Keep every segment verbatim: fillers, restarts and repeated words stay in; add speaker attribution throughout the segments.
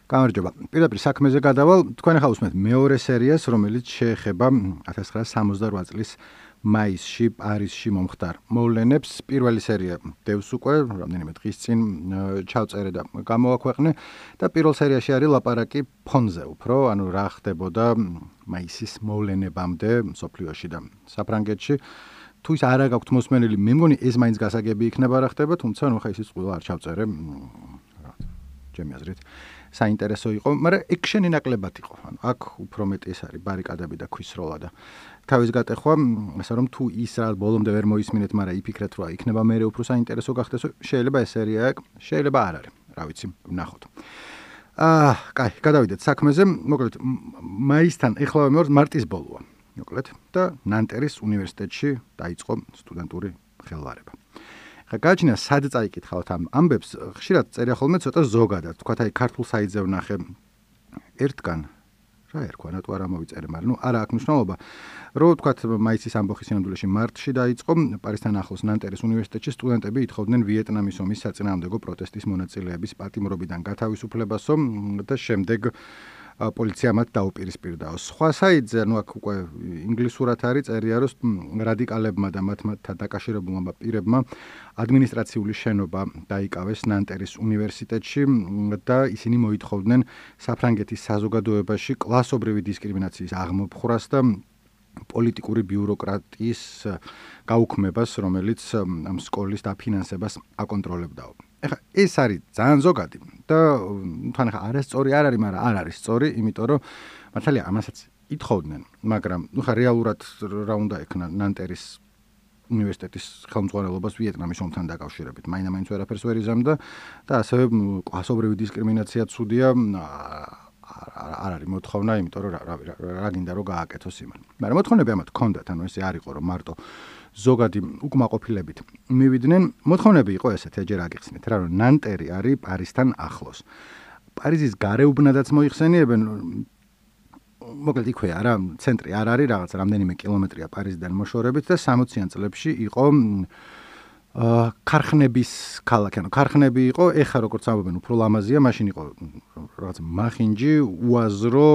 Speaker 1: გამარჯობა. Პირდაპირ საქმეზე გადავალ, თქვენ ახლა უსმენთ მეორე სერიას, რომელიც შეეხება ათას ცხრაასა სამოცდარვა წლის მაისში პარიზში მომხდარ მოვლენებს. პირველი სერია დევს უკვე, რამდენიმე დღის წინ ჩავწერე და გამოვაქვეყნე და პირველ სერიაში არის ლაპარაკი ფონზე უფრო, ანუ რა ხდებოდა მაისის მოვლენებამდე მსოფლიოში და საფრანგეთში. თუ ის არა გაქვთ მოსმენილი, მე მგონი ეს მაინც გასაგები იქნება რა ხდება, თუმცა ნუ ხა ისიც ყველა არ ჩავწერე. ჩემი აზრით საინტერესო იყო, მაგრამ ექშენი ნაკლებად იყო. ანუ აქ უფრო მეტი ეს არის ბარიკადები და ქვის სროლა და თავის გატეხვა, ასე რომ თუ ის რა ბოლომდე ვერ მოისმინეთ, მაგრამ იფიქრეთ, რომ იქნება მერე უფრო საინტერესო გახდეს, შეიძლება ეს სერია აქ, შეიძლება არ არის. რა ვიცი, ვნახოთ. აა, კაი, გადავიდეთ საქმეზე. მოკლედ, მაისთან ეხლა მე ვარ მარტის ბოლოა. მოკლედ და ნანტერის უნივერსიტეტში დაიწყო სტუდენტური ხელვარება. ხა გაჩნია სად წაიკითხავთ ამ ამბებს, ხშირად წერია ხოლმე ცოტა ზოგადად, თქვათ აი ქართულ საიტზე ვნახე ერთგან რა ერქვა, ნატო არ ამოვიწერე, მაგრამ ნუ არა აქვს მნიშვნელობა, რომ თქვათ მაისის ამბოხის სინამდვილეში მარტში დაიწყო პარიზთან ახლოს ნანტერის უნივერსიტეტში სტუდენტები ითხოვდნენ ვიეტნამის ომის საწინააღმდეგო პროტესტის მონაწილეების პატიმრობიდან გათავისუფლებასო და შემდეგ პოლიცია მათ დაუპირისპირდაო. სხვა საიტზე, ნუ აქ უკვე ინგლისურად არის წერია, რომ რადიკალებმა და მათ მათთან დაკავშირებულმა პირებმა ადმინისტრაციული შენობა დაიკავეს ნანტერის უნივერსიტეტში და ისინი მოითხოვდნენ საფრანგეთის საზოგადოებაში კლასობრივი დისკრიმინაციის აღმოფხვრას და პოლიტიკური ბიუროკრატიის გაუქმებას, რომელიც ამ სკოლის დაფინანსებას აკონტროლებდაო. ეხლა ეს არის ძალიან ზოგადი და თან ახლა არასწორი არ არის, მაგრამ არ არის სწორი, იმიტომ რომ მართალია ამასაც ითხოვდნენ, მაგრამ ნუ ხა რეალურად რა უნდა ექნა ნანტერის უნივერსიტეტის ხელმძღვანელობას ვიეტნამის ომთან დაკავშირებით. მაინც ვერაფერს ვერ იზამდა და ასევე კლასობრივი დისკრიმინაცია ცუდია არ არის მოთხოვნა, იმიტომ რომ რა გინდა რომ გააკეთოს იმან. მაგრამ მოთხოვნები ამათ ჰქონდათ, ანუ ესე არ იყო რომ მარტო ზოგადი უკმაყოფილებით მივიდნენ. მოთხოვნები იყო ესეთი, ეჯერ აგიხსნით რა, რომ ნანტერი არის პარიზთან ახლოს. პარიზის გარეუბნადაც მოიხსენიებენ, მოკლედ იქვე არა, ცენტრი არ არის, რაღაც რამდენიმე კილომეტრია პარიზიდან მოშორებით და სამოციან წლებში იყო ქარხნების ქალაქი, ანუ ქარხნები იყო, ეხა როგორც ამბობენ, უფრო ლამაზია, მაშინ იყო რაღაც მახინჯი, უაზრო,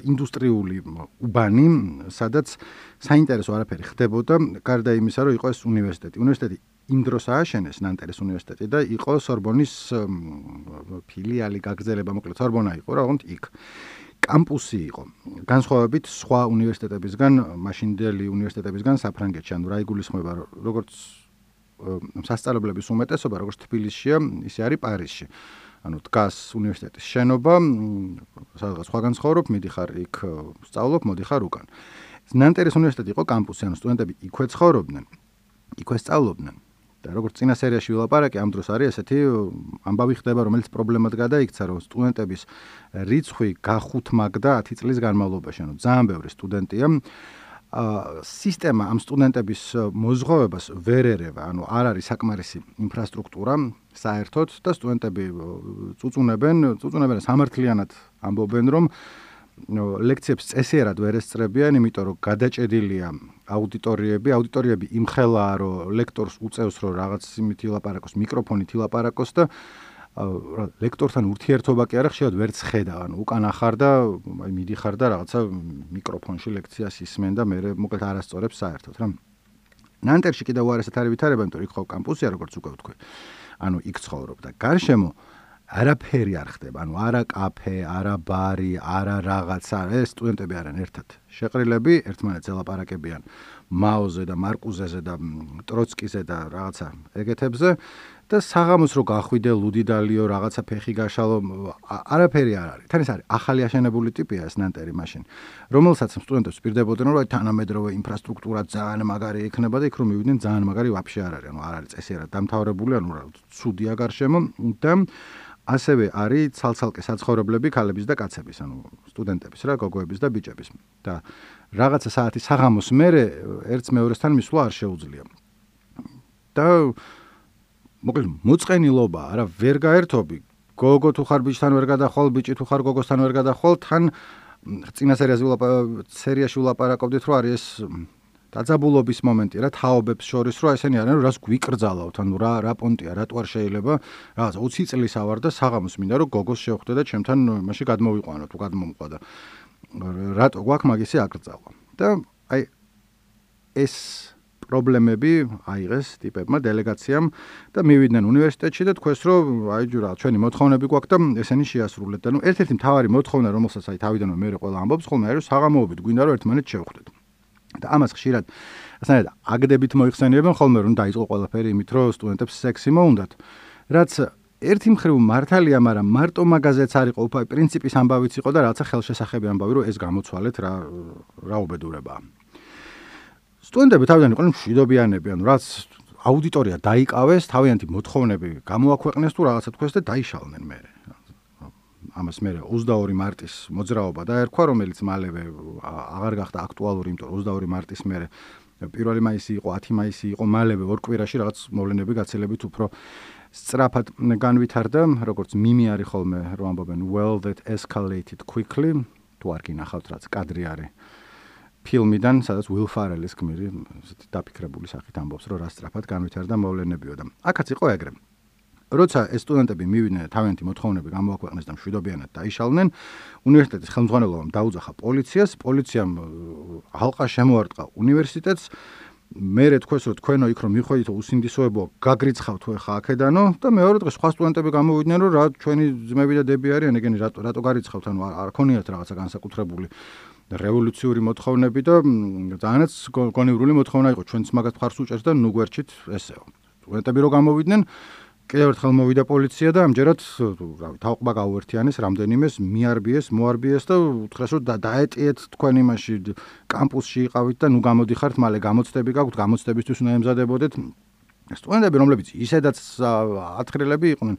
Speaker 1: ინდუსტრიული უბანი, სადაც საინტერესო არაფერი ხდებოდა, გარდა იმისა, რომ იყო ეს უნივერსიტეტი. უნივერსიტეტი იმ დროს ააშენეს ნანტერის უნივერსიტეტი და იყო სორბონის ფილიალი, გაგრძელება, მოკლედ სორბონა იყო, რაღაც იქ. კამპუსი იყო. განსხვავებით სხვა უნივერსიტეტებისგან, მაშინდელი უნივერსიტეტებისგან საფრანგეთში, ანუ რა იგულისხმება, როგორც სასწავლებლების უმეტესობა, როგორც თბილისშია, ისე არის პარიზში. ანუ დგას უნივერსიტეტის შენობა, სადღაც სხვაგან ცხოვრობ, მიდიხარ იქ სწავლობ, მოდიხარ უკან. ნანტერის უნივერსიტეტი იყო კამპუსი, ანუ სტუდენტები იქვე ცხოვრობდნენ, იქვე სწავლობდნენ. და როგორც წინა სერიაში ვილაპარაკე, ამ დროს არის ესეთი ამბავი ხდება, რომელიც პრობლემად გადაიქცა, რომ სტუდენტების რიცხვი გახუთმაგდა ათი წლის განმავლობაში, ანუ ძალიან ბევრი სტუდენტია. სისტემა ამ სტუდენტების მოზღვავებას ვერ ერევა, ანუ არ არის საკმარისი ინფრასტრუქტურა საერთოდ და სტუდენტები წუწუნებენ, წუწუნებენ სამართლიანად ამბობენ, რომ ლექციებს წესიერად ვერ ესწრებიან, იმიტომ რომ გადაჭედილია აუდიტორიები, აუდიტორიები იმხელაა, რომ ლექტორს უწევს, რომ რაღაც იმით ილაპარაკოს, მიკროფონით ილაპარაკოს და ლექტორთან ურთიერთობა კი არა, ხშირად ვერც ხედავ, ანუ უკან ახარ და აი მიდიხარ და რაღაცა მიკროფონში ლექციას ისმენ და მე მოკლედ არასწორებს საერთოდ რა. ნანტერში კიდევ უარესად არის ვითარება, იმიტომ რომ იქ ხო კამპუსია, როგორც უკვე ვთქვი. ანუ იქ ცხოვრობ და გარშემო არაფერი არ ხდება, ანუ არა კაფე, არა ბარი, არა რაღაცა, ეს სტუდენტები არიან ერთად შეყრილები, ერთმანეთს ელაპარაკებიან მაოზე და მარკუზეზე და ტროცკიზე და რაღაცა ეგეთებზე და საღამოს რო გახვიდე ლუდიდალიო, რაღაცა ფეხი გაშალო, არაფერი არ არის. თან ეს არის ახალი აშენებული ტიპია ეს ნანტერი მაშინ, რომელსაც სტუდენტებს პირდებოდნენ, რომ თანამედროვე ინფრასტრუქტურა ძალიან მაგარი იქნება და იქ რომ მივიდნენ ძალიან მაგარი ვაფშე არ არის, ანუ არ არის წესიერად დამთავრებული, ანუ რა ცუდია გარშემო და ასევე არის ცალ-ცალკე საცხოვრებლები ქალების და კაცების, ანუ სტუდენტების რა, გოგოების და ბიჭების. და რაღაცა საათი საღამოს მერე ერთს მეორესთან მისვლა არ შეუძლია. და მოკლედ მოწყენილობა, არა, ვერ გაერთობი. გოგო თუ ხარ ბიჭთან ვერ გადახვალ, ბიჭი თუ ხარ გოგოსთან ვერ გადახვალ, თან წინა სერიაში ვილაპარაკობდით, რომ არის ეს დაძაბულობის მომენტი რა თაობებს შორის რომ ესენი არიან რას გვიკრძალავთ ანუ რა რა პონტია რატო არ შეიძლება რაღაც ოცი წლის ავარ და საღამოს მინდა რომ გოგოს შევხვდე და ჩემთან მაშინ გადმოვიყვანო თუ გადმომყვა და რატო გვაქვს მაგისი აკრძალვა და აი ეს პრობლემები აიღეს ტიპებმა დელეგაციამ და მივიდნენ უნივერსიტეტში და თქვეს რომ აი რა ჩვენი მოთხოვნები გვაქვს და ესენი შეასრულეთ და ნუ ერთ-ერთი მთავარი მოთხოვნა რომელსაც აი თავიდანვე მე ყველა ამბობს ხოლმე არის რომ საღამოობით გვინდა რომ ერთმანეთს შევხვდეთ და ამას ხშირად ასანაირად აგდებით მოიხსენიებენ ხოლმე რომ დაიწყო ყველაფერი იმით რომ სტუდენტებს სექსი მოუნდათ რაც ერთი მხრივ მართალია მაგრამ მარტო მაგაზეც არ იყო უფრო პრინციპის ამბავიც იყო და რაცა ხელშესახები ამბავი რომ ეს გამოცვალეთ რა რა უბედურებაა სტუდენტები თავიდან იყვნენ მშვიდობიანები ანუ რაც აუდიტორია დაიკავეს თავიანთი მოთხოვნები გამოაქვეყნეს თუ რაღაცა თქვეს და დაიშალნენ მე ამას მე ოცდაორი მარტის მოძრაობა დაერქვა რომელიც მალევე აღარ გახდა აქტუალური იმიტომ რომ ოცდაორი მარტის მერე პირველი მაისი იყო ათი მაისი იყო მალევე ორ კვირაში რაღაც მოვლენები გაცილებით უფრო სწრაფად განვითარდა როგორც მიმი არის ხოლმე რომ ამბობენ well that escalated quickly თუ არ გინახავთ რაც კადრი არის ფილმიდან სადაც Will Ferrell-ის გმირი დაფიქრებული სახით ამბობს რომ რა სწრაფად განვითარდა მოვლენებიო და აქაც იყო ეგრე როცა ეს სტუდენტები მივიდნენ თავიანთი მოთხოვნები გამოაქვეყნეს და მშვიდობიანად დაიშალნენ უნივერსიტეტის ხელმძღვანელობამ დაუძახა პოლიციას პოლიციამ ალყა შემოარტყა უნივერსიტეტს მერე თქვეს რომ თქვენო იქ რომ მიხვედით უსინდისოებო გაგრიცხავთ თუ ეხა აქედანო და მეორე დღეს სხვა სტუდენტები გამოვიდნენ რომ რა ჩვენი ძმები და დები არიან ეგენი რატო რატო გარიცხავთ ანუ არ ქონიათ რაღაცა განსაკუთრებული რევოლუციური მოთხოვნები და ძალიანაც გონივრული მოთხოვნა იყო ჩვენც მაგათ მხარს უჭერს და ნუ გვერჩით ესეო სტუდენტები რო გამოვიდნენ კიდევ ერთხელ მოვიდა პოლიცია და ამჯერად რავი თავყბა გაუერთიანეს რამდენიმეს მიარბიეს მოარბიეს და უთხრეს რომ დაეტიეთ თქვენ იმაში კამპუსში იყავით და ნუ გამოდიხართ მალე გამოცდები გაქვთ გამოცდებისთვის უნდა ემზადებოდეთ სტუდენტები რომლებიც ისედაც ათხრილები იყვნენ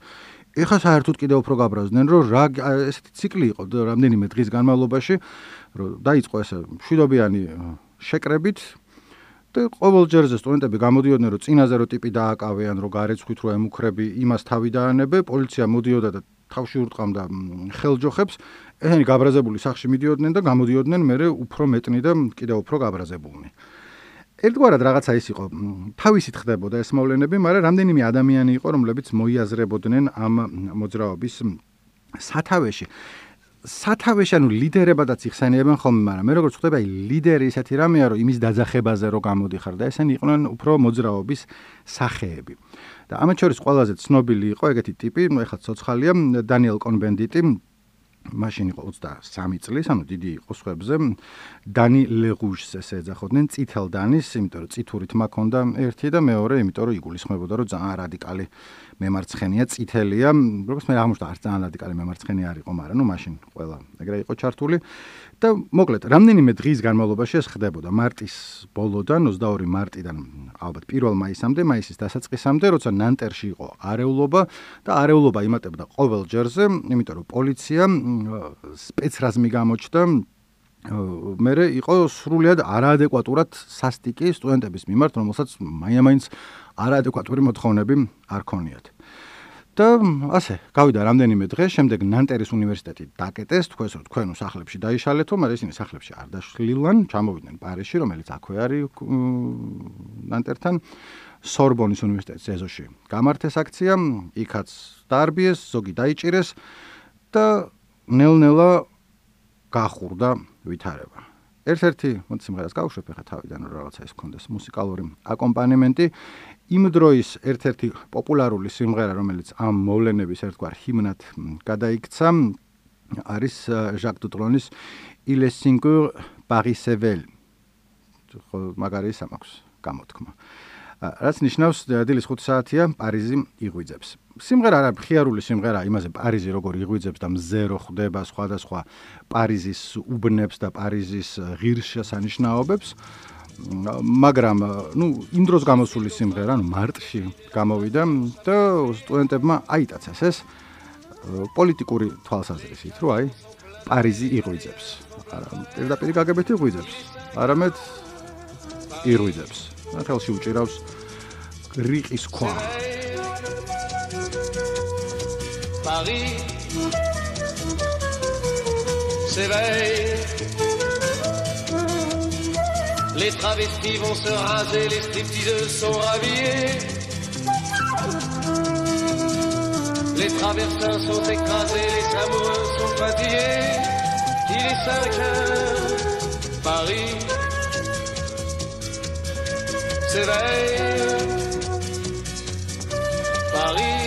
Speaker 1: ეხა საერთოდ კიდევ უფრო გაბრაზდნენ რომ რა ესეთი ციკლი იყო რამდენიმე დღის განმავლობაში რომ დაიწყო ესე მშვიდობიანი შეკრებით და ყოველ ჯერზე სტუდენტები გამოდიოდნენ რომ წინაზე რო ტიპი დააკავიან რომ გარეცხვით რო ემუქრები იმას თავი დაანებე პოლიცია მოდიოდა და თავში ურტყამდა ხელჯოხებს ესენი გაბრაზებული სახში მიდიოდნენ და გამოდიოდნენ მერე უფრო მეტნი და კიდევ უფრო გაბრაზებულნი ერთგვარად რაღაცა ის იყო თავისით ხდებოდა ეს მოვლენები მაგრამ რამდენიმე ადამიანი იყო რომლებიც მოიაზრებოდნენ ამ მოძრაობის სათავეში სათავეში ანუ ლიდერებადაც იხსენიებენ ხოლმე მაგრამ მე როგორც ხვდები აი ლიდერი ისეთი რამეა რომ იმის დაძახებაზე რო გამოდიხარ და ესენი იყვნენ უფრო მოძრაობის სახეები და ამათ შორის ყველაზე ცნობილი იყო ეგეთი ტიპი ნუ ეხლა ცოცხალია დანიელ კონბენდიტი მაშინ იყო ოცდასამი წლის ანუ დიდი იყო სხვებზე დანი ლეღუშს ესე ეძახოდნენ წითელ დანის იმიტომ რომ წითურით მაქონდა ერთი და მეორე იმიტომ რომ იგულისხმებოდა რომ ძალიან რადიკალი მემარცხენია წითელია როგორც მე აღმოჩნდა არც ძალიან რადიკალი მემარცხენე არ იყო მაგრამ ნუ მაშინ ყველა ეგრე იყო ჩართული და მოკლედ რამდენიმე დღის განმავლობაში ეს ხდებოდა მარტის ბოლოდან ოცდაორი მარტიდან ალბათ პირველ მაისამდე მაისის დასაწყისამდე როცა ნანტერში იყო არეულობა და არეულობა იმატებდა ყოველ ჯერზე იმიტომ რომ პოლიცია სპეცრაზმი გამოჩნდა მერე იყო სრულიად არაადეკვატურად სასტიკი სტუდენტების მიმართ რომელსაც მაინც არაადეკვატური მოთხოვნები არ ქონიათ და ასე გავიდა რამდენიმე დღე შემდეგ ნანტერის უნივერსიტეტი დაკეტეს თქვენს რომ თქვენ სახლებში დაიშალეთო მაგრამ ისინი სახლებში არ დაშლილან ჩამოვიდნენ პარიზში რომელიც აქვე არის ნანტერთან სორბონის უნივერსიტეტის ეზოში გამართეს აქცია იქაც დაარბიეს ზოგი დაიჭირეს და ნელ-ნელა გახურდა ვითარება ერთ-ერთი მოდი სიმღერას გავუშვებ ახლა თავიდან რომ რაღაცა ის ქონდეს მუსიკალური აკომპანემენტი იმ დროის ერთ-ერთი პოპულარული სიმღერა რომელიც ამ მოვლენების ერთგვარ ჰიმნად გადაიქცა არის ჟაკ დუტრონის Il est cinq heures Paris s'éveille მაგარი სამაქვს გამოთქმა რაც ნიშნავს დილის ხუთი საათია პარიზი იღვიძებს სიმღერა არა მხიარული სიმღერა იმაზე პარიზი როგორ იღვიძებს და მზე რო ხდება სხვადასხვა პარიზის უბნებს და პარიზის ღირსშესანიშნაობებს მაგრამ ნუ იმ დროს გამოსული სიმღერა ანუ მარტში გამოვიდა და სტუდენტებმა აიტაცეს ეს პოლიტიკური თვალსაზრისით რომ აი პარიზი იღვიძებს არა პირდაპირ გაგებით იღვიძებს არამედ იღვიძებს ხელში უჭირავს რიყის ქვა
Speaker 2: Paris s'éveille, Les travestis vont se raser, les stripteaseuses sont rhabillées. Les traversins sont écrasés, les amoureux sont fatigués. Il est cinq heures, Paris s'éveille. Paris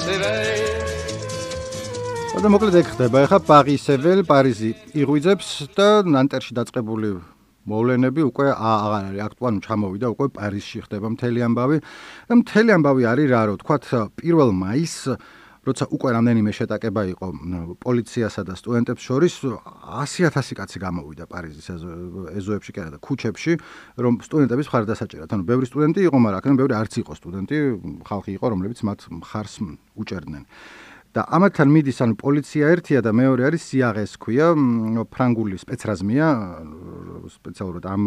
Speaker 2: s'éveille.
Speaker 1: და მოკლედ ეგ ხდება. ეხლა პარისეվել, პარიზი იღვიძებს და ნანტერში დაწყებული მოვლენები უკვე აღარ არის აქტუალური, ჩამოვიდა უკვე პარიზში ხდება მთელი ამბავი. და მთელი ამბავი არის რა, რომ თქვათ პირველ მაისს, როცა უკვე რამდენიმე შეტაკება იყო პოლიციასა და სტუდენტებს შორის, ასი ათასი კაცი გამოვიდა პარიზის ეზოებში კი არა და ქუჩებში, რომ სტუდენტების მხარდასაჭერად. ანუ ბევრი სტუდენტი იყო, მაგრამ აქედან ბევრი არც იყო სტუდენტი, ხალხი იყო, რომლებიც მათ მხარს უჭერდნენ. და ამათთან მიდის ანუ პოლიცია ერთია და მეორე არის სიაღეს ქვია, ფრანგული სპეცრაზმია, სპეციალურად ამ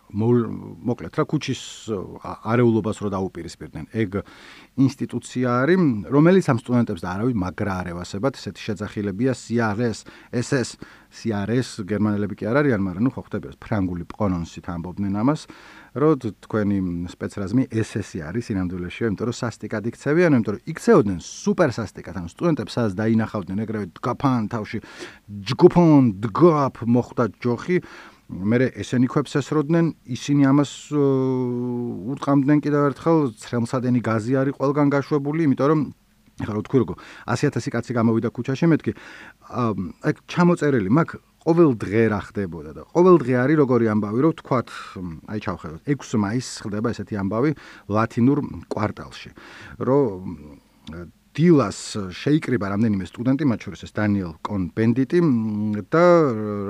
Speaker 1: მოკლედ რა ქუჩის არეულობას რო დაუპირისპირდნენ. ეგ ინსტიტუცია არის, რომელიც ამ სტუდენტებს და არავის მაგრა არ ევასებათ, ესეთი შეძახილებია სიაღეს, ეს ეს სიაღეს გერმანელები კი არ არიან, მაგრამ ნუ ხო ხდება ფრანგული პრონონსით ამბობდნენ ამას. რომ თქვენი სპეცრაზმი ეს ესი არის სინამდვილეში, იმიტომ რომ სასტიკად იქცევიან, იმიტომ რომ იქცეოდნენ სუპერ სასტიკად, ანუ სტუდენტებს სადაც დაინახავდნენ ეგრევე დგაფან თავში, ჯგუფონ დგაფ მოხდა ჯოხი, მე ესენი ქვებს ესროდნენ, ისინი ამას ურტყამდნენ კიდევ ერთხელ, ცრემლსადენი გაზი არის ყველგან გაშვებული, იმიტომ რომ ეხლა რო თქვი როგორ ასი ათასი კაცი გამოვიდა ქუჩაში, მეთქი აი ჩამოწერილი მაქვს ყოველ დღე რა ხდებოდა და ყოველ დღე არის როგორი ამბავი, რომ თქვათ, აი ჩავხედოთ, ექვსი მაისს ხდება ესეთი ამბავი ლათინურ კვარტალში, რომ დილას შეიკრიბა რამდენიმე სტუდენტი, მათ შორის ეს დანიელ კონ-ბენდიტი და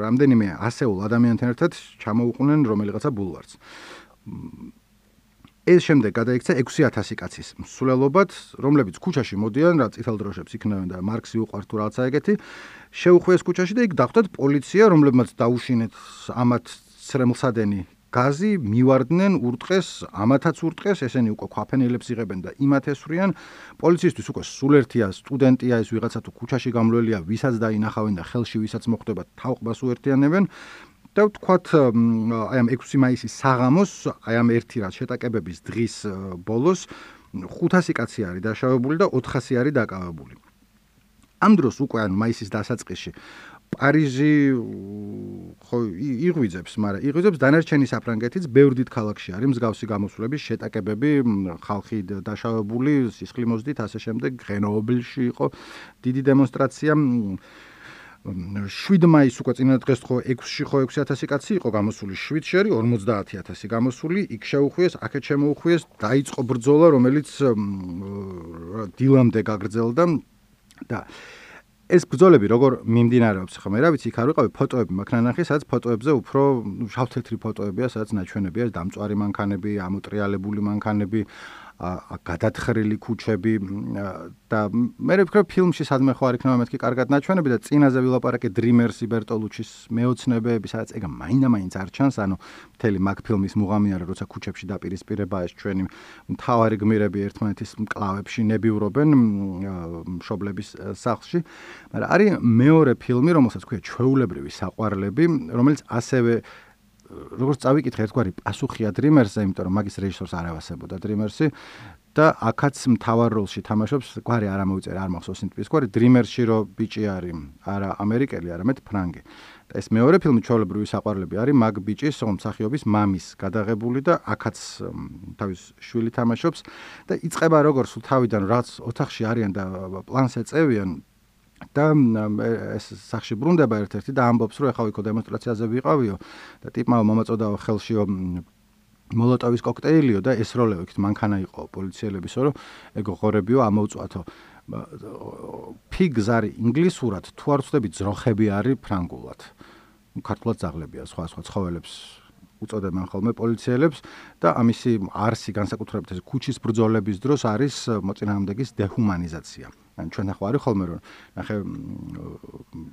Speaker 1: რამდენიმე ასეულ ადამიანთან ერთად ჩამოუყვნენ რომელიღაცა ბულვარს. ეს შემდეგ გადაიქცა ექვსი ათასი კაცის მსვლელობად, რომლებიც ქუჩაში მოდიან, რა წითელ დროშებს იქნევენ და მარქსი უყვართ თუ რაღაცა ეგეთი, შეუხვიეს ქუჩაში და იქ დახვდათ პოლიცია, რომლებმაც დაუშინეთ ამათ ცრემლსადენი გაზი, მივარდნენ, ურტყეს, ამათაც ურტყეს, ესენი უკვე ქვაფენილებს იღებენ და იმათ ესვრიან. პოლიციისთვის უკვე სულ ერთია სტუდენტია ეს ვიღაცა თუ ქუჩაში გამლველია, ვისაც დაინახავენ და ხელში ვისაც მოხდება თავყბას უერთიანებენ. და ვთქვათ, აი ამ ექვსი მაისის საღამოს, აი ამ ერთი რაც შეტაკებების დღის ბოლოს ხუთასი კაცი არის დაშავებული და ოთხასი არის დაკავებული. ამ დროს უკვე ან მაისის დასაწყისში პარიზი ხო იღვიძებს, მაგრამ იღვიძებს დანარჩენი საფრანგეთიც, ბევრ დიდ ქალაქში არის მსგავსი გამოსვლების შეტაკებები, ხალხი დაშავებული, სისხლი მოზდით, ასე შემდეგ, გრენობილში იყო დიდი დემონსტრაცია. შვიდ მაისს უკვე წინა დღეს ხო ექვსში ხო ექვსი ათასი კაცი იყო გამოსული, შვიდში არის ორმოცდაათი ათასი გამოსული, იქ შეუხვიეს, აქეთ შემოუხვიეს, დაიწყო ბრძოლა, რომელიც დილამდე გაგრძელდა და ეს ბრძოლები როგორ მიმდინარეობს ხო მე რა ვიცი, იქ არ ვიყავი, ფოტოები მაქვს ნანახი, სადაც ფოტოებზე უფრო შავ-თეთრი ფოტოებია, სადაც ნაჩვენებია დამწვარი მანქანები, ამოტრიალებული მანქანები, გადათხრილი ქუჩები და მე ვფიქრობ ფილმში სადმე ხო არ იქნება მეთქი კარგად ნაჩვენები და წინაზე ვილაპარაკე დრიმერსი ბერტოლუჩის მეოცნებები, სადაც ეგ მაინდა-მაინც არ ჩანს, ანუ მთელი მაგ ფილმის მუღამი არის, როცა ქუჩებში დაპირისპირება ეს ჩვენი მთავარი გმირები ერთმანეთის მკლავებში ნებიურობენ მშობლების სახლში, მაგრამ არის მეორე ფილმი, რომელსაც ქვია ჩვეულებრივი საყვარლები, რომელიც ასევე როგორც წავიკითხე ერთგვარი პასუხია დრიმერსზე, იმიტომ რომ მაგის რეჟისორს არ ევასებოდა დრიმერსი და აქაც მთავარ როლში თამაშობს, გვარი არ ამოვიწერე, არ მახსოვს იმ ტიპის გვარი, დრიმერსში რო ბიჭი არის, არა ამერიკელი, არამედ ფრანგი. და ეს მეორე ფილმი ჩვეულებრივი საყვარლები არის მაგ ბიჭის მსახიობის მამის გადაღებული და აქაც თავის შვილი თამაშობს და იწყება როგორც სულ თავიდან რაც ოთახში არიან და პლანს ეწევიან და ეს სახში ბრუნდება ერთ-ერთი და ამბობს, რომ ეხლა იქო დემონსტრაციაზე ვიყავიო და ტიპმა მომაწოდაო ხელშიო მოლოტოვის კოქტეილიო და ესროლეო იქით მანქანა იყო პოლიციელებისო, რომ ეგ ღორებიო ამოვწვათო. ფიგს არის ინგლისურად, თუ არ ვწდები ძროხები არის ფრანგულად. ქართულად ძაღლებია, სხვა სხვა ცხოველებს უწოდებენ ხოლმე პოლიციელებს და ამისი არსი განსაკუთრებით ეს ქუჩის ბრძოლების დროს არის მოწინააღმდეგის დეჰუმანიზაცია. ან ჩვენ ახლა არის ხოლმე რომ ნახე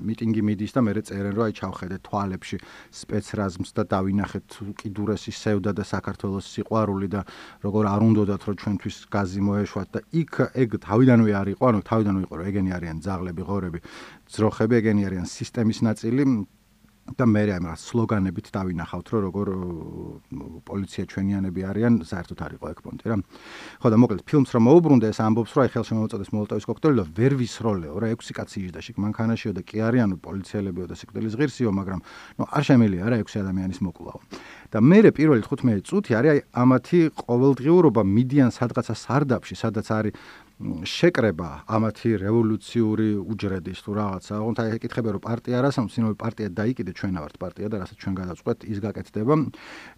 Speaker 1: მიტინგი მიდის და მე წერენ რომ აი ჩავხედეთ თვალებში სპეცრაზმს და დავინახეთ უკიდურესი სევდა და საქართველოს სიყვარული და როგორ არ უნდათ რომ ჩვენთვის გაზი მოეშვათ და იქ ეგ თავიდანვე არ იყო, ანუ თავიდანვე იყო რომ ეგენი არიან ძაღლები, ღორები, ძროხები, ეგენი არიან სისტემის ნაწილი და მე რა იმას სლოგანებით დავინახავთ, რომ როგორ პოლიცია ჩვენიანები არიან, საერთოდ არ იყო ეგ პონტი რა. ხო და მოკლედ ფილმს რომ მოუბრუნდა ეს ამბობს, რომ აი ხელშემომწოდეს მოლოტოვის კოქტეილი და ვერ ვისროლეო რა, ექვსი კაცი იჯდა შიგ მანქანაშიო და კი არიანო პოლიციელებიო და სიკვდილის ღირსიო, მაგრამ ნუ არ შემიძლია რა ექვსი ადამიანის მოკვლაო. და მე პირველი თხუთმეტი წუთი არის აი ამათი ყოველდღიურობა მიდიან სადღაცა სარდაფში, სადაც არის შეკრება ამათი რევოლუციური უჯრედის თუ რაღაცა. ოღონდ აი ეკითხება რომ პარტია რას ამბობს, ინო პარტია დაიკიდე ჩვენ ვართ პარტია და რასაც ჩვენ გადავწყვეტ ის გაკეთდება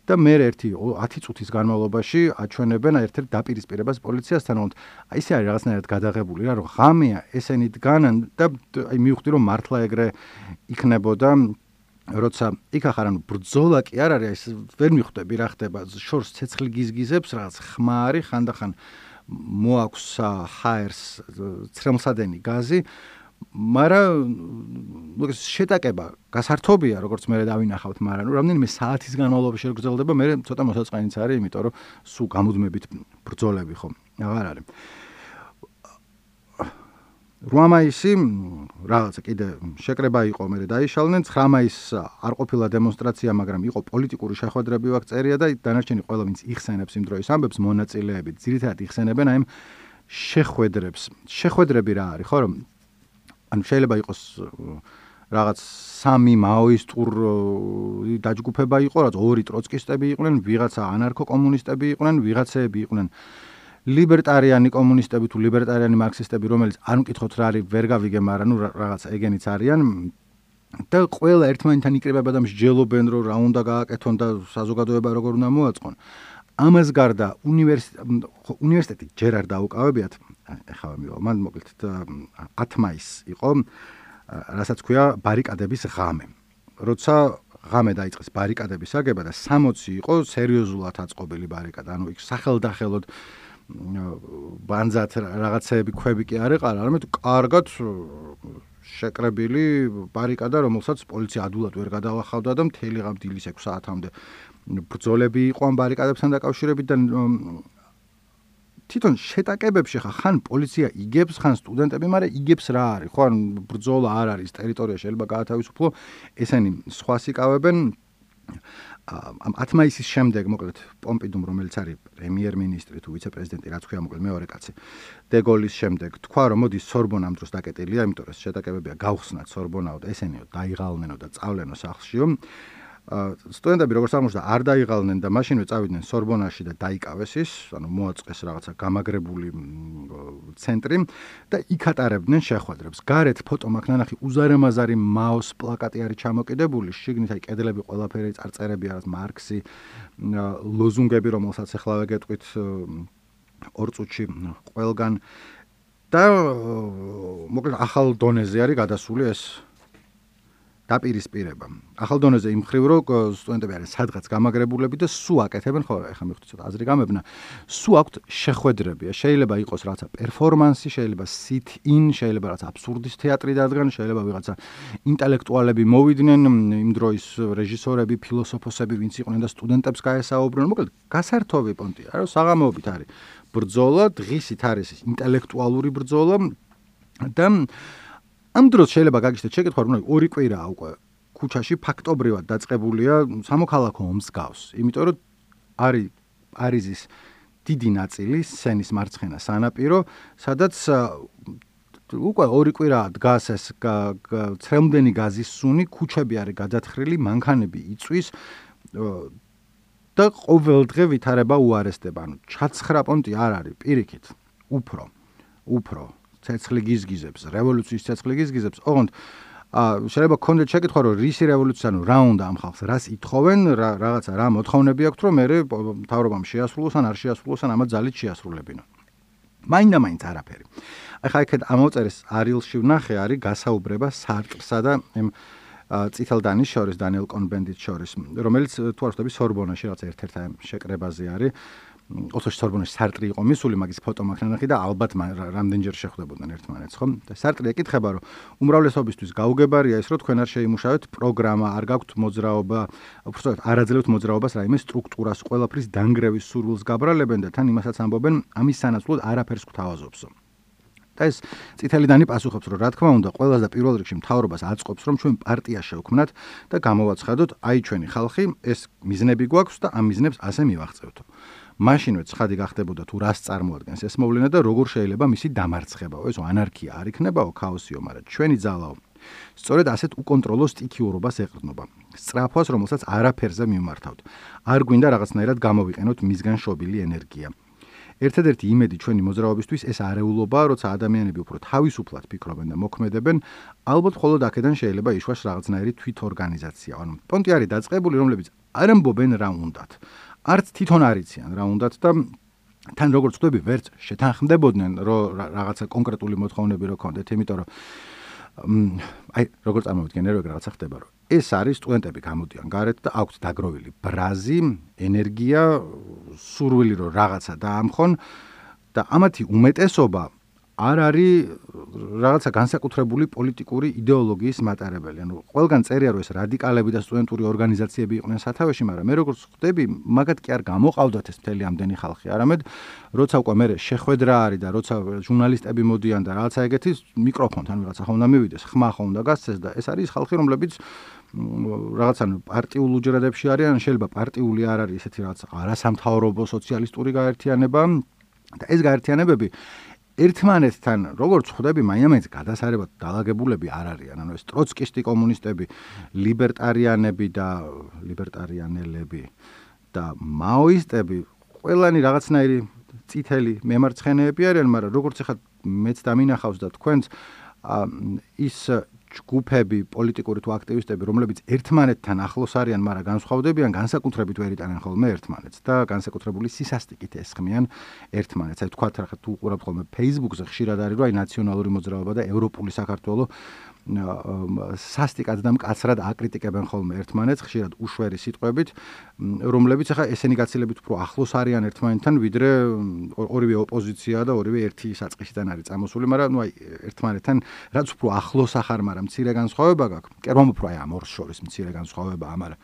Speaker 1: და მე ერთი ათი წუთის განმავლობაში აჩვენებენ ერთ-ერთ დაპირისპირებას პოლიციასთან, ოღონდ აი ისე არის რაღაცნაირად გადაღებული რა, რომ ღამეა ესენი დგანან და აი მივხვდი რომ მართლა ეგრე იქნებოდა როცა იქ ახარ ანუ ბრძოლა კი არ არის, ვერ მიხვდები რა ხდება, შორს ცეცხლი გიზგიზებს რაღაც ხმარი ხანდახან მოაქვს ჰაერს ცრემლსადენი გაზი, მაგრამ შეტაკება გასართობია, როგორც მე დავინახავთ, მაგრამ რამდენიმე საათის განმავლობაში გრძელდება, მე ცოტა მოსაწყენიც არის, იმიტომ რომ სულ გამუდმებით ბრძოლები ხო აღარ არის. რვა მაისი რაღაცა კიდე შეკრება იყო, მე დაიშალნენ, ცხრა მაისს არ ყოფილა დემონსტრაცია, მაგრამ იყო პოლიტიკური შეხვედრები ვაკ წერია და დანარჩენი ყველა ვინც იხსენებს იმ დროის ამბებს, მონაწილეები ძირითადად იხსენებენ აი შეხვედრებს. შეხვედრები რა არის, ხო რომ ანუ შეიძლება იყოს რაღაც სამი მაოისტური დაჯგუფება იყო, რაც ორი ტროცკისტები იყვნენ, ვიღაცა ანარქო-კომუნისტები იყვნენ, ვიღაცები იყვნენ ლიბერტარიანი კომუნისტები თუ ლიბერტარიანი მარქსისტები, რომელიც არ მკითხოთ რა არის, ვერ გავიგე, მაგრამ ნუ რაღაცა ეგენიც არიან და ყველა ერთმანეთთან იკრიბება და მსჯელობენ, რომ რა უნდა გააკეთონ და საზოგადოება როგორ უნდა მოაწყონ. ამას გარდა უნივერსიტეტი ჯერ არ დაუკავებიათ, ეხლა მივა, მან მოკლედ ათი მაისს იყო, რასაც ქვია ბარიკადების ღამე. როცა ღამე დაიწყეს ბარიკადების აგება და სამოცი იყო სერიოზულად აწყობილი ბარიკადა, ანუ იქ სახელდახელოდ ბანძად რაღაცეები ქვები კი არ ეყარა, არამედ კარგად შეკრებილი ბარიკადა, რომელსაც პოლიცია ადულად ვერ გადალახავდა და მთელი ღამე დილის ექვს საათამდე ბრძოლები იყო ამ ბარიკადებთან დაკავშირებით და თვითონ შეტაკებებში ხან პოლიცია იგებს, ხან სტუდენტები, მაგრამ იგებს რა არის, ხო, ან ბრძოლა არ არის, ტერიტორია შეიძლება გაათავისუფლო, ესენი სხვას იკავებენ. ამ ათი მაისის შემდეგ, მოკლედ, პომპიდუმ, რომელიც არის პრემიერ-მინისტრი თუ ვიცე-პრეზიდენტი, რაც ქვია, მოკლედ, მეორე კაცი, დეგოლის შემდეგ თქვა, რომ მოდი სორბონა ამ დროს დაკეტილია, იმიტომ რომ შეტაკებებია გავხსნათ სორბონაო და ესენიო დაიღალნენო და წავლენო სახლშიო. სტუდენტები როგორც აღმოჩნდა არ დაიღალნენ და მაშინვე წავიდნენ სორბონაში და დაიკავეს ის, ანუ მოაწყეს რაღაცა გამაგრებული ცენტრი და იქ ატარებდნენ შეხვედრებს. გარეთ ფოტო მაქვს ნანახი უზარმაზარი მაოს პლაკატი არის ჩამოკიდებული, შიგნით აი კედლები ყველაფერი წარწერებია, რაც მარქსი, ლოზუნგები, რომელსაც ეხლა ვეგეტყვით ორ წუთში ყველგან და მოკლედ ახალ დონეზე არის გადასული ეს დაპირისპირება. ახალ დონეზე იმ ხრივ რომ სტუდენტები არიან სადღაც გამაგრებულები და სულ აკეთებენ, ხო, ეხლა მივხვდი ცოტა აზრი გამებნა, სულ აქვთ შეხვედრებია. შეიძლება იყოს რაღაცა პერფორმანსი, შეიძლება sit-in, შეიძლება რაღაცა აბსურდის თეატრი დადგან, შეიძლება ვიღაცა ინტელექტუალები მოვიდნენ, იმ დროის რეჟისორები, ფილოსოფოსები, ვინც იყვნენ და სტუდენტებს გაესაუბრნენ. მოკლედ, გასართობი პონტია, რომ საღამოობით არის ბრძოლა, დღისით არის ინტელექტუალური ბრძოლა და ამ დროს შეიძლება გაგიჩნდეთ შეკითხვა, რომ ორი კვირაა უკვე ქუჩაში ფაქტობრივად დაწყებულია სამოქალაქო ომს გავს. იმიტომ რომ არის პარიზის დიდი ნაწილი სენის მარცხენა სანაპირო, სადაც უკვე ორი კვირაა დგას ეს ცრემლდენი გაზის სუნი, ქუჩები არის გადათხრილი, მანქანები იწვის და ყოველდღე ვითარება უარესდება. ანუ ჩაცხრა პონტი არ არის, პირიქით, უფრო, უფრო ცეცხლი გიზგიზებს, რევოლუციის ცეცხლი გიზგიზებს, ოღონდ შეიძლება გქონდეთ შეკითხვა, რომ რისი რევოლუცია, ანუ რა უნდა ამ ხალხს, რას ითხოვენ, რაღაცა რა მოთხოვნები აქვთ, რომ მე მთავრობამ შეასრულოს ან არ შეასრულოს ან ამათ ძალით შეასრულებინო. მაინდა-მაინც არაფერი. ახლა აქეთ ამოწერეს არილში ვნახე, არის გასაუბრება სარტრსა და იმ წითელდანის შორის, დანიელ კონბენდიტ შორის, რომელიც თუ არ ვთქვი სორბონაში რაღაც ერთ-ერთ შეკრებაზე არის. ოთხში სორბონაში სარტრი იყო მისული, მაგის ფოტო მაქვს ნანახი და ალბათ რამდენჯერ შეხვდებოდნენ ერთმანეთს, ხო? და სარტრი ეკითხება, რომ უმრავლესობისთვის გაუგებარია ის, რომ თქვენ არ შეიმუშავეთ პროგრამა, არ გაქვთ მოძრაობა, უბრალოდ არ აძლევთ მოძრაობას რაიმე სტრუქტურას, ყველაფრის დანგრევის სურვილს გაბრალებენ და თან იმასაც ამბობენ, ამის სანაცვლოდ არაფერს გვთავაზობსო. და ეს წითელი დანი პასუხობს, რომ რა თქმა უნდა, ყველას და პირველ რიგში მთავრობას აწყობს, რომ ჩვენ პარტია შევქმნათ და გამოვაცხადოთ, აი ჩვენი ხალხი, ეს მიზნები გვაქვს და ამ მიზნებს ასე მივაღწევთო. მაშინვე ცხადი გახდებოდა თუ რას წარმოადგენს ეს მოვლენა და როგორ შეიძლება მისი დამარცხებაო, ესო ანარქია არ იქნებაო, ქაოსიო, მაგრამ ჩვენი ძალაო. სწორედ ასეთ უკონტროლო სტიქიურობას ეყრდნობა. სწრაფვას, რომელსაც არაფერზე მიმართავთ. არ გვინდა რაღაცნაირად გამოვიყენოთ მისგან შობილი ენერგია. ერთადერთი იმედი ჩვენი მოძრაობისთვის ეს არეულობაა, როცა ადამიანები უფრო თავისუფლად ფიქრობენ და მოქმედებენ, ალბათ მხოლოდ აქედან შეიძლება იშვას რაღაცნაირი თვითორგანიზაცია. ანუ პონტი არის დაწყებული, რომლებიც არ ამბობენ რა უნდათ. არც თვითონ არ იციან რა უნდათ და თან როგორც ხვდები, ვერც შეთანხმდებოდნენ, რომ რაღაცა კონკრეტული მოთხოვნები რო ქონდეთ, იმიტომ რომ აი როგორც წარმოვიდგენე, რომ რაღაცა ხდება, რომ ეს არის სტუდენტები გამოდიან გარეთ და აქვთ დაგროვილი ბრაზი, ენერგია, სურვილი რომ რაღაცა დაამხონ და ამათი უმეტესობა არ არის რაღაცა განსაკუთრებული პოლიტიკური იდეოლოგიის მატარებელი. ანუ ყველგან წერია, რომ ეს რადიკალები და სტუდენტური ორგანიზაციები იყვნენ სათავეში, მაგრამ მე როგორც ხვდები, მაგათ კი არ გამოყავდათ ეს მთელი ამდენი ხალხი. არამედ როცა უკვე მე შეხვედრა არის და როცა ჟურნალისტები მოდიან და რაღაცა ეგეთი მიკროფონთან ვიღაცა ხომ უნდა მივიდეს, ხმა ხომ უნდა გასცეს და ეს არის ხალხი, რომლებიც რაღაცა პარტიულ უჯრედებში არიან, შეიძლება პარტიული არ არის ესეთი რაღაც არასამთავრობო სოციალისტური გაერთიანება და ეს გაერთიანებები ერთმანეთთან როგორც ხვდები, მაინც გადასარევად დალაგებულები არ არიან. ანუ ეს ტროცკისტი კომუნისტები, ლიბერტარიანები და ლიბერტარიანელები და მაოისტები ყველანი რაღაცნაირი წითელი მემარცხენეები არიან, მაგრამ როგორც ახლა მეც დამინახავს და თქვენც ის ჯგუფები, პოლიტიკური თუ აქტივისტები, რომლებიც ერთმანეთთან ახლოს არიან, მაგრამ განსხვავდებიან, განსაკუთრებით ვერ იტანენ ხოლმე ერთმანეთს და განსაკუთრებული სისასტიკით ესხმიან ერთმანეთს. აი თქვათ რა თუ უყურებთ ხოლმე Facebook-ზე ხშირად არის, რომ აი ნაციონალური მოძრაობა და ევროპული საქართველო სასტიკად და მკაცრად აკრიტიკებენ ხოლმე ერთმანეთს, ხშირად უშვერი სიტყვებით, რომლებიც ახლა ესენი გაცილებით უფრო ახლოს არიან ერთმანეთთან, ვიდრე ორივე ოპოზიცია და ორივე ერთი საწყისიდან არის წამოსული, მაგრამ ნუ აი ერთმანეთთან რაც უფრო ახლოს ახარ, მაგრამ მცირე განსხვავება გაქვს. კერვამ უფრო აი ამ ორს შორის მცირე განსხვავებაა, მაგრამ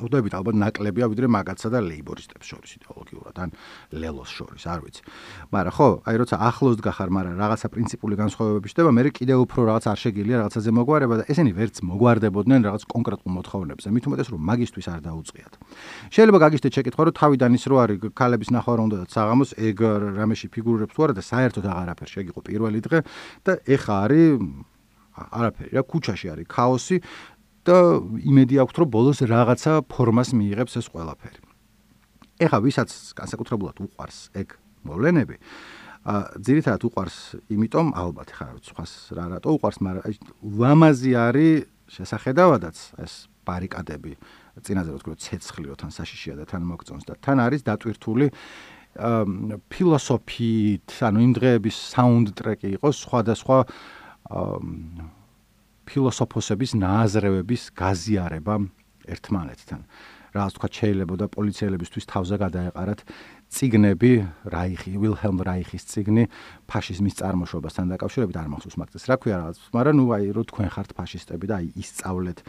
Speaker 1: უდებით ალბათ ნაკლებია ვიდრე მაგათსა და ლეიბორისტებს შორის იდეოლოგიურად ან ლელოს შორის, არ ვიცი. მაგრამ ხო, აი როცა ახლოს დგახარ, მაგრამ რაღაცა პრინციპული განსხვავებები ხდება, მე კიდევ უფრო რაღაც არ შეგიძლია რაღაცაზე მოგვარება და ესენი ვერც მოგვარდებოდნენ რაღაც კონკრეტულ მოთხოვნებზე. მით უმეტეს რომ მაგისტვის არ დაუწყიათ. შეიძლება გაგიჩნდეთ შეკითხვა, რომ თავიდან ის რო არის ქალების ნახვა რომ უნდათ საღამოს ეგ რამეში ფიგურებს თუ არა და საერთოდ აღარაფერ შეგიყო პირველი დღე და ეხა არის არაფერი რა, ქუჩაში არის ქაოსი და იმედი აქვს, რომ ბოლოს რაღაცა ფორმას მიიღებს ეს ყველაფერი. ეხა ვისაც განსაკუთრებულად უყვარს ეგ მოვლენები, ძირითადად უყვარს, იმიტომ ალბათ ხა სხვას რა რატო უყვარს, მაგრამ ლამაზი არის შესახედავადაც ეს ბარიკადები, წინაზე რო თქვი, ცეცხლიო თან საშიშია და თან მოგწონს და თან არის დატვირთული ფილოსოფიით, ანუ იმ დღეების საუნდტრეკი იყოს სხვადასხვა ფილოსოფოსების ნააზრევების გაზიარება ერთმანეთთან. Რაღაც თქვა შეიძლება და პოლიციელებისთვის თავზე გადაეყარათ წიგნები, რაიხი, ვილჰელმ რაიხის წიგნი ფაშიზმის წარმოშობასთან დაკავშირებით, არ მახსოვს მაგას რა ქვია რაღაც, მაგრამ ნუ აი რო თქვენ ხართ ფაშისტები და აი ისწავლეთ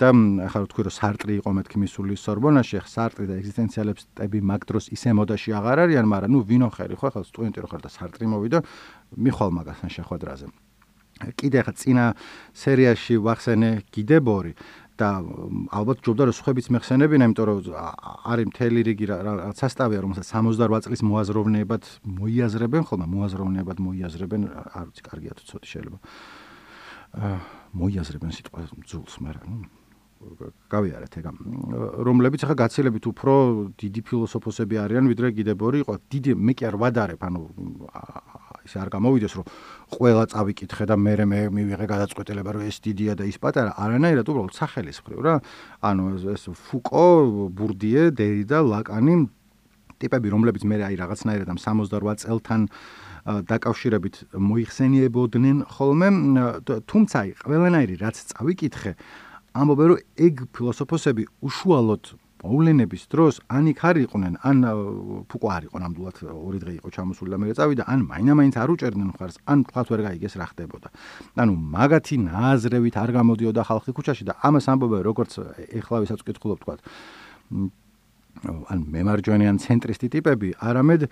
Speaker 1: და ახლა რო თქვი რომ სარტრი იყო მეთქი მისული სორბონაში, ხა სარტრი და ეგზისტენციალისტები მაგ დროს ისე მოდაში აღარ არიან, მაგრამ ნუ ვინო ხერი ხო ახლა სტუდენტი რო ხარ და სარტრი მოვიდა, მიხვალ მაგასთან შეხვედრაზე. კიდე ხა წინა სერიაში ვახსენე გიდებორი და ალბათ ჯობდა რომ სხვებიც მეხსენებინა, იმიტომ რომ არის მთელი რიგი რაღაც სასტავია, რომელსაც სამოცდაოთხ წლის მოაზროვნეებად მოიაზრებენ, ხოლმე მოაზროვნეებად მოიაზრებენ, არ ვიცი, კარგია თუ ცოტა შეიძლება. მოიაზრებენ სიტყვა ძულს, მაგრამ ნუ გავიარეთ ეგ. რომლებიც ახლა გაცილებით უფრო დიდი ფილოსოფოსები არიან, ვიდრე გიდებორი იყო. დიდი მე კი არ ვადარებ, ანუ ისე არ გამოვიდეს, რომ ყველა წავიკითხე და მე მე მივიღე გადაწყვეტილება, რომ ეს დიდია და ის პატარა, არანაირად უბრალოდ სახელის მხრივ რა. ანუ ეს ფუკო, ბურდიე, დერიდა, ლაკანი ტიპები, რომლებიც მე აი რაღაცნაირად ამ სამოცდაოთხ წელთან დაკავშირებით მოიხსენიებოდნენ ხოლმე, თუმცა აი ყველანაირი რაც წავიკითხე, ამბობენ, რომ ეგ ფილოსოფოსები უშუალოდ მოვლენების დროს ან იქ არ იყვნენ, ან ფუკო არ იყო ნამდვილად ორი დღე იყო ჩამოსული და მე წავიდა, ან მაინამაინც არ უჭერდნენ მხარს, ან თქვათ ვერ გაიგეს რა ხდებოდა. ანუ მაგათი ნააზრევით არ გამოდიოდა ხალხი ქუჩაში და ამას ამბობენ, როგორც ეხლა ვისაც ვკითხულობ თქვათ, ან მემარჯვენე ან ცენტრისტი ტიპები, არამედ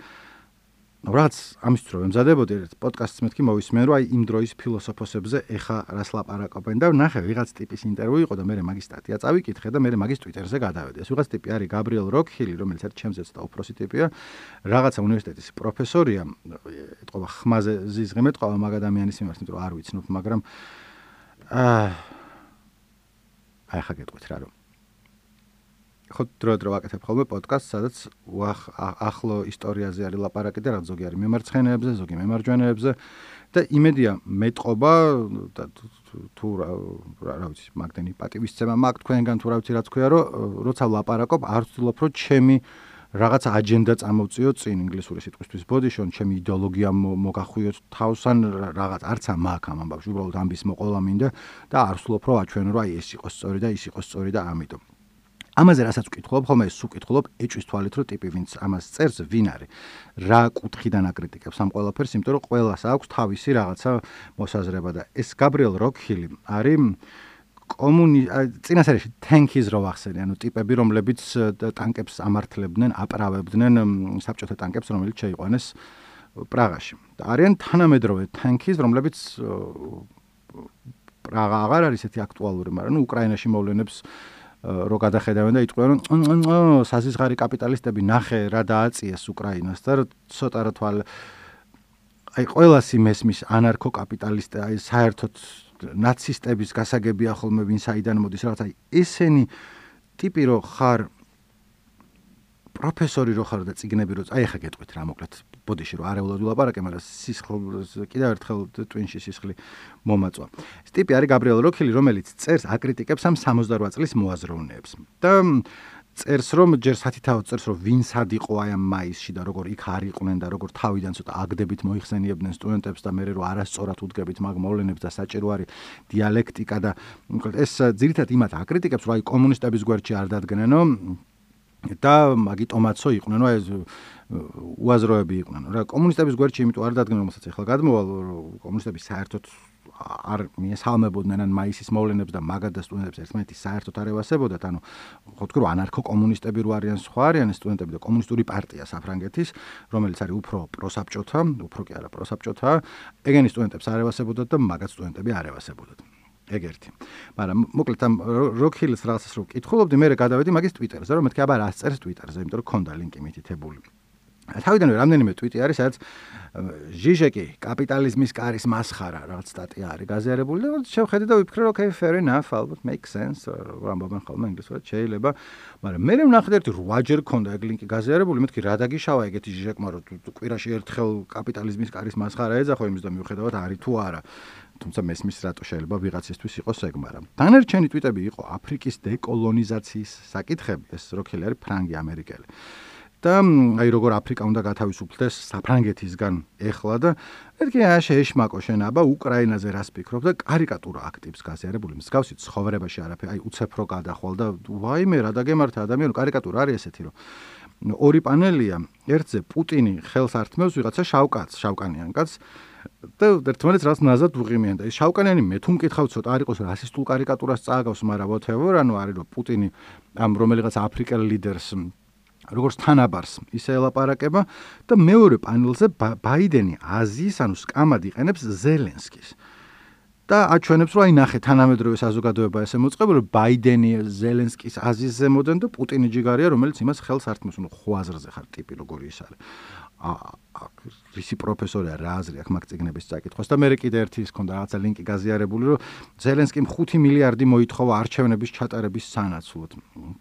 Speaker 1: რაც ამისთვის რომ ემზადებოდი ერთ პოდკასტს მეთქი მოვისმენ რომ აი იმ დროის ფილოსოფოსებზე ეხა რას ლაპარაკობენ და ნახე ვიღაც ტიპის ინტერვიუ იყო და მე მაგის სტატია წავიკითხე და მე მაგის ტვიტერზე გადავედი. ეს ვიღაც ტიპი არის გაბრიელ როკჰილი, რომელიც ერთ ჩემზეც და უფროსი ტიპია, რაღაცა უნივერსიტეტის პროფესორია, ეთყობა ხმაზე ზიზღიმ ეთყობა მაგ ადამიანის მიმართ, იმიტომ რომ არ ვიცნობ, მაგრამ აა აი ხა გეტყვით რა რომ ხო დრო დრო ვაკეთებ ხოლმე პოდკასტს, სადაც ახლო ისტორიაზე არის ლაპარაკი და რაღაც ზოგი არის მემარცხენეებზე, ზოგი მემარჯვენეებზე და იმედია მეტყობა და თუ რა ვიცი, მაგდენი პატივისცემა მაგ თქვენგან თუ რა ვიცი რაც ქვია, რომ როცა ლაპარაკობ, არ ვცდილობ რომ ჩემი რაღაც აჯენდა წამოვწიო წინ ინგლისური სიტყვისთვის ბოდიშონ, ჩემი იდეოლოგია მოგახვიოთ თავს ან რაღაც არც ამ აქ ამ ამბავში, უბრალოდ ამბის მოყოლა მინდა და არ ვცდილობ რომ აჩვენო რომ აი ეს იყოს სწორი და ის იყოს სწორი და ამიტომ ამაზე რასაც ვკითხულობ, ხოლმე ეს ვკითხულობ ეჭვის თვალით, რომ ტიპი ვინც ამას წერს, ვინ არის, რა კუთხიდან აკრიტიკებს ამ ყველაფერს, იმიტომ რომ ყველას აქვს თავისი რაღაცა მოსაზრება და ეს გაბრიელ როკჰილი არის კომუნი წინასწარში თენქის რო ვახსენე, ანუ ტიპები, რომლებიც ტანკებს ამართლებდნენ, აპრავებდნენ საბჭოთა ტანკებს, რომელიც შეიყვანეს პრაღაში. და არიან თანამედროვე თენქის, რომლებიც პრაღა აღარ არის ესეთი აქტუალური, მაგრამ ნუ უკრაინაში მოვლენებს რო გადახედავენ და იტყვიან რომ საზისხარი კაპიტალისტები ნახე რა დააწიეს უკრაინას და ცოტა რა თვალ აი ყველასი მესმის ანარქო კაპიტალისტი აი საერთოდ ნაცისტების გასაგებია ხოლმე ვინ საიდან მოდის რაღაც აი ესენი ტიპი რო ხარ პროფესორი რო ხარ და წიგნები რო აი ახლა გეტყვით რა მოკლედ ბოდიში რო არეულად ვილაპარაკე, მაგრამ სისხლ კიდევ ერთხელ ტვინში სისხლი მომაწვა. ეს ტიპი არის გაბრიელ როკჰილი, რომელიც წერს აკრიტიკებს ამ სამოცდარვა წლის მოაზროვნეებს. და წერს რომ ჯერ სათითაოდ წერს რომ ვინ სად იყო აი ამ მაისში და როგორ იქ არ იყვნენ და როგორ თავიდან ცოტა აგდებით მოიხსენიებდნენ სტუდენტებს და მერე რო არასწორად უდგებით მაგ მოვლენებს და საჭირო არის დიალექტიკა და ეს ძირითადად იმათ აკრიტიკებს რომ აი კომუნისტების გვერდში არ დადგნენო და მაგიტომაცო იყვნენ, ნუ ეს უაზროები იყვნენ. რა კომუნისტების გვერდში იმიტომ არ დადგნენ, რომელსაც ახლა გადმოვალ, კომუნისტები საერთოდ არ მიესალმებოდნენ ან მაისის მოვლენებს და მაგად და სტუდენტებს ერთმანეთი საერთოდ არ ევასებოდათ, ანუ ხო თქვი რომ ანარქო კომუნისტები რო არიან, სხვა არიან სტუდენტები და კომუნისტური პარტია საფრანგეთის, რომელიც არის უფრო პროსაბჭოთა, უფრო კი არა პროსაბჭოთა, ეგენი სტუდენტებს არ ევასებოდათ და მაგად სტუდენტები არ ევასებოდათ. ეგ ერთი. მაგრამ მოკლედ ამ როკჰილის რაღაცას რო ვკითხულობდი, მე გადავედი მაგის ტვიტერზე, რომ მეთქი აბა რას წერს ტვიტერზე, იმიტომ რომ ქონდა ლინკი მითითებული. თავიდანვე რამდენიმე ტვიტი არის, სადაც ჟიჟეკი კაპიტალიზმის კარის მასხარა რაღაც სტატია არის გაზიარებული და შევხედე და ვიფიქრე, რომ okay, fair enough, ალბათ make sense, რამბობენ ხოლმე ინგლისურად შეიძლება, მაგრამ მე ვნახე ერთი რვაჯერ ქონდა ეგ ლინკი გაზიარებული, მეთქი რა დაგიშავა ეგეთი ჟიჟეკმა, რომ კვირაში ერთხელ კაპიტალიზმის კარის მასხარა ეძახო იმის და მივხედავთ არის თუ არა. თუმცა მესმის რატო შეიძლება ვიღაცისთვის იყოს ეგ, მაგრამ დანარჩენი ტვიტები იყო აფრიკის დეკოლონიზაციის საკითხები, ეს როკჰილი არის ფრანგი ამერიკელი. და აი როგორ აფრიკა უნდა გათავისუფლდეს საფრანგეთისგან ეხლა და მეთქი აშე ეშმაკო შენ აბა უკრაინაზე რას ფიქრობ და კარიკატურა აქტივს გაზიარებული მსგავსი ცხოვრებაში არაფერი აი უცეფრო გადახვალ და ვაიმე რა დაგემართა ადამიანი კარიკატურა არის ესეთი რომ ორი პანელია ერთზე პუტინი ხელს ართმევს ვიღაცა შავკაც შავკანიან კაც და ერთმანეთს რაც ნაზად უღიმიან და ეს შავკანიანი მე თუ მკითხავ ცოტა არ იყოს რასისტულ კარიკატურას წააგავს მაგრამ whatever ანუ არის რომ პუტინი ამ რომელიღაც აფრიკელ ლიდერს როგორც თანაბარს ისე ელაპარაკება და მეორე პანელზე ბაიდენი აზიის ანუ სკამად იყენებს ზელენსკის და აჩვენებს რომ აი ნახე თანამედროვე საზოგადოება ესე მოწყობილი რომ ბაიდენი ზელენსკის აზიის ზემოდან და პუტინი ჯიგარია რომელიც იმას ხელს ართმევს ნუ ხვაზრზე ხარ ტიპი როგორი ის არის რისი პროფესორია რა აზრი აქვს მაგ წიგნების წაკითხვას და მე კიდე ერთი ის ქონდა რაღაცა ლინკი გაზიარებული რომ ზელენსკიმ ხუთი მილიარდი მოითხოვა არჩევნების ჩატარების სანაცვლოდ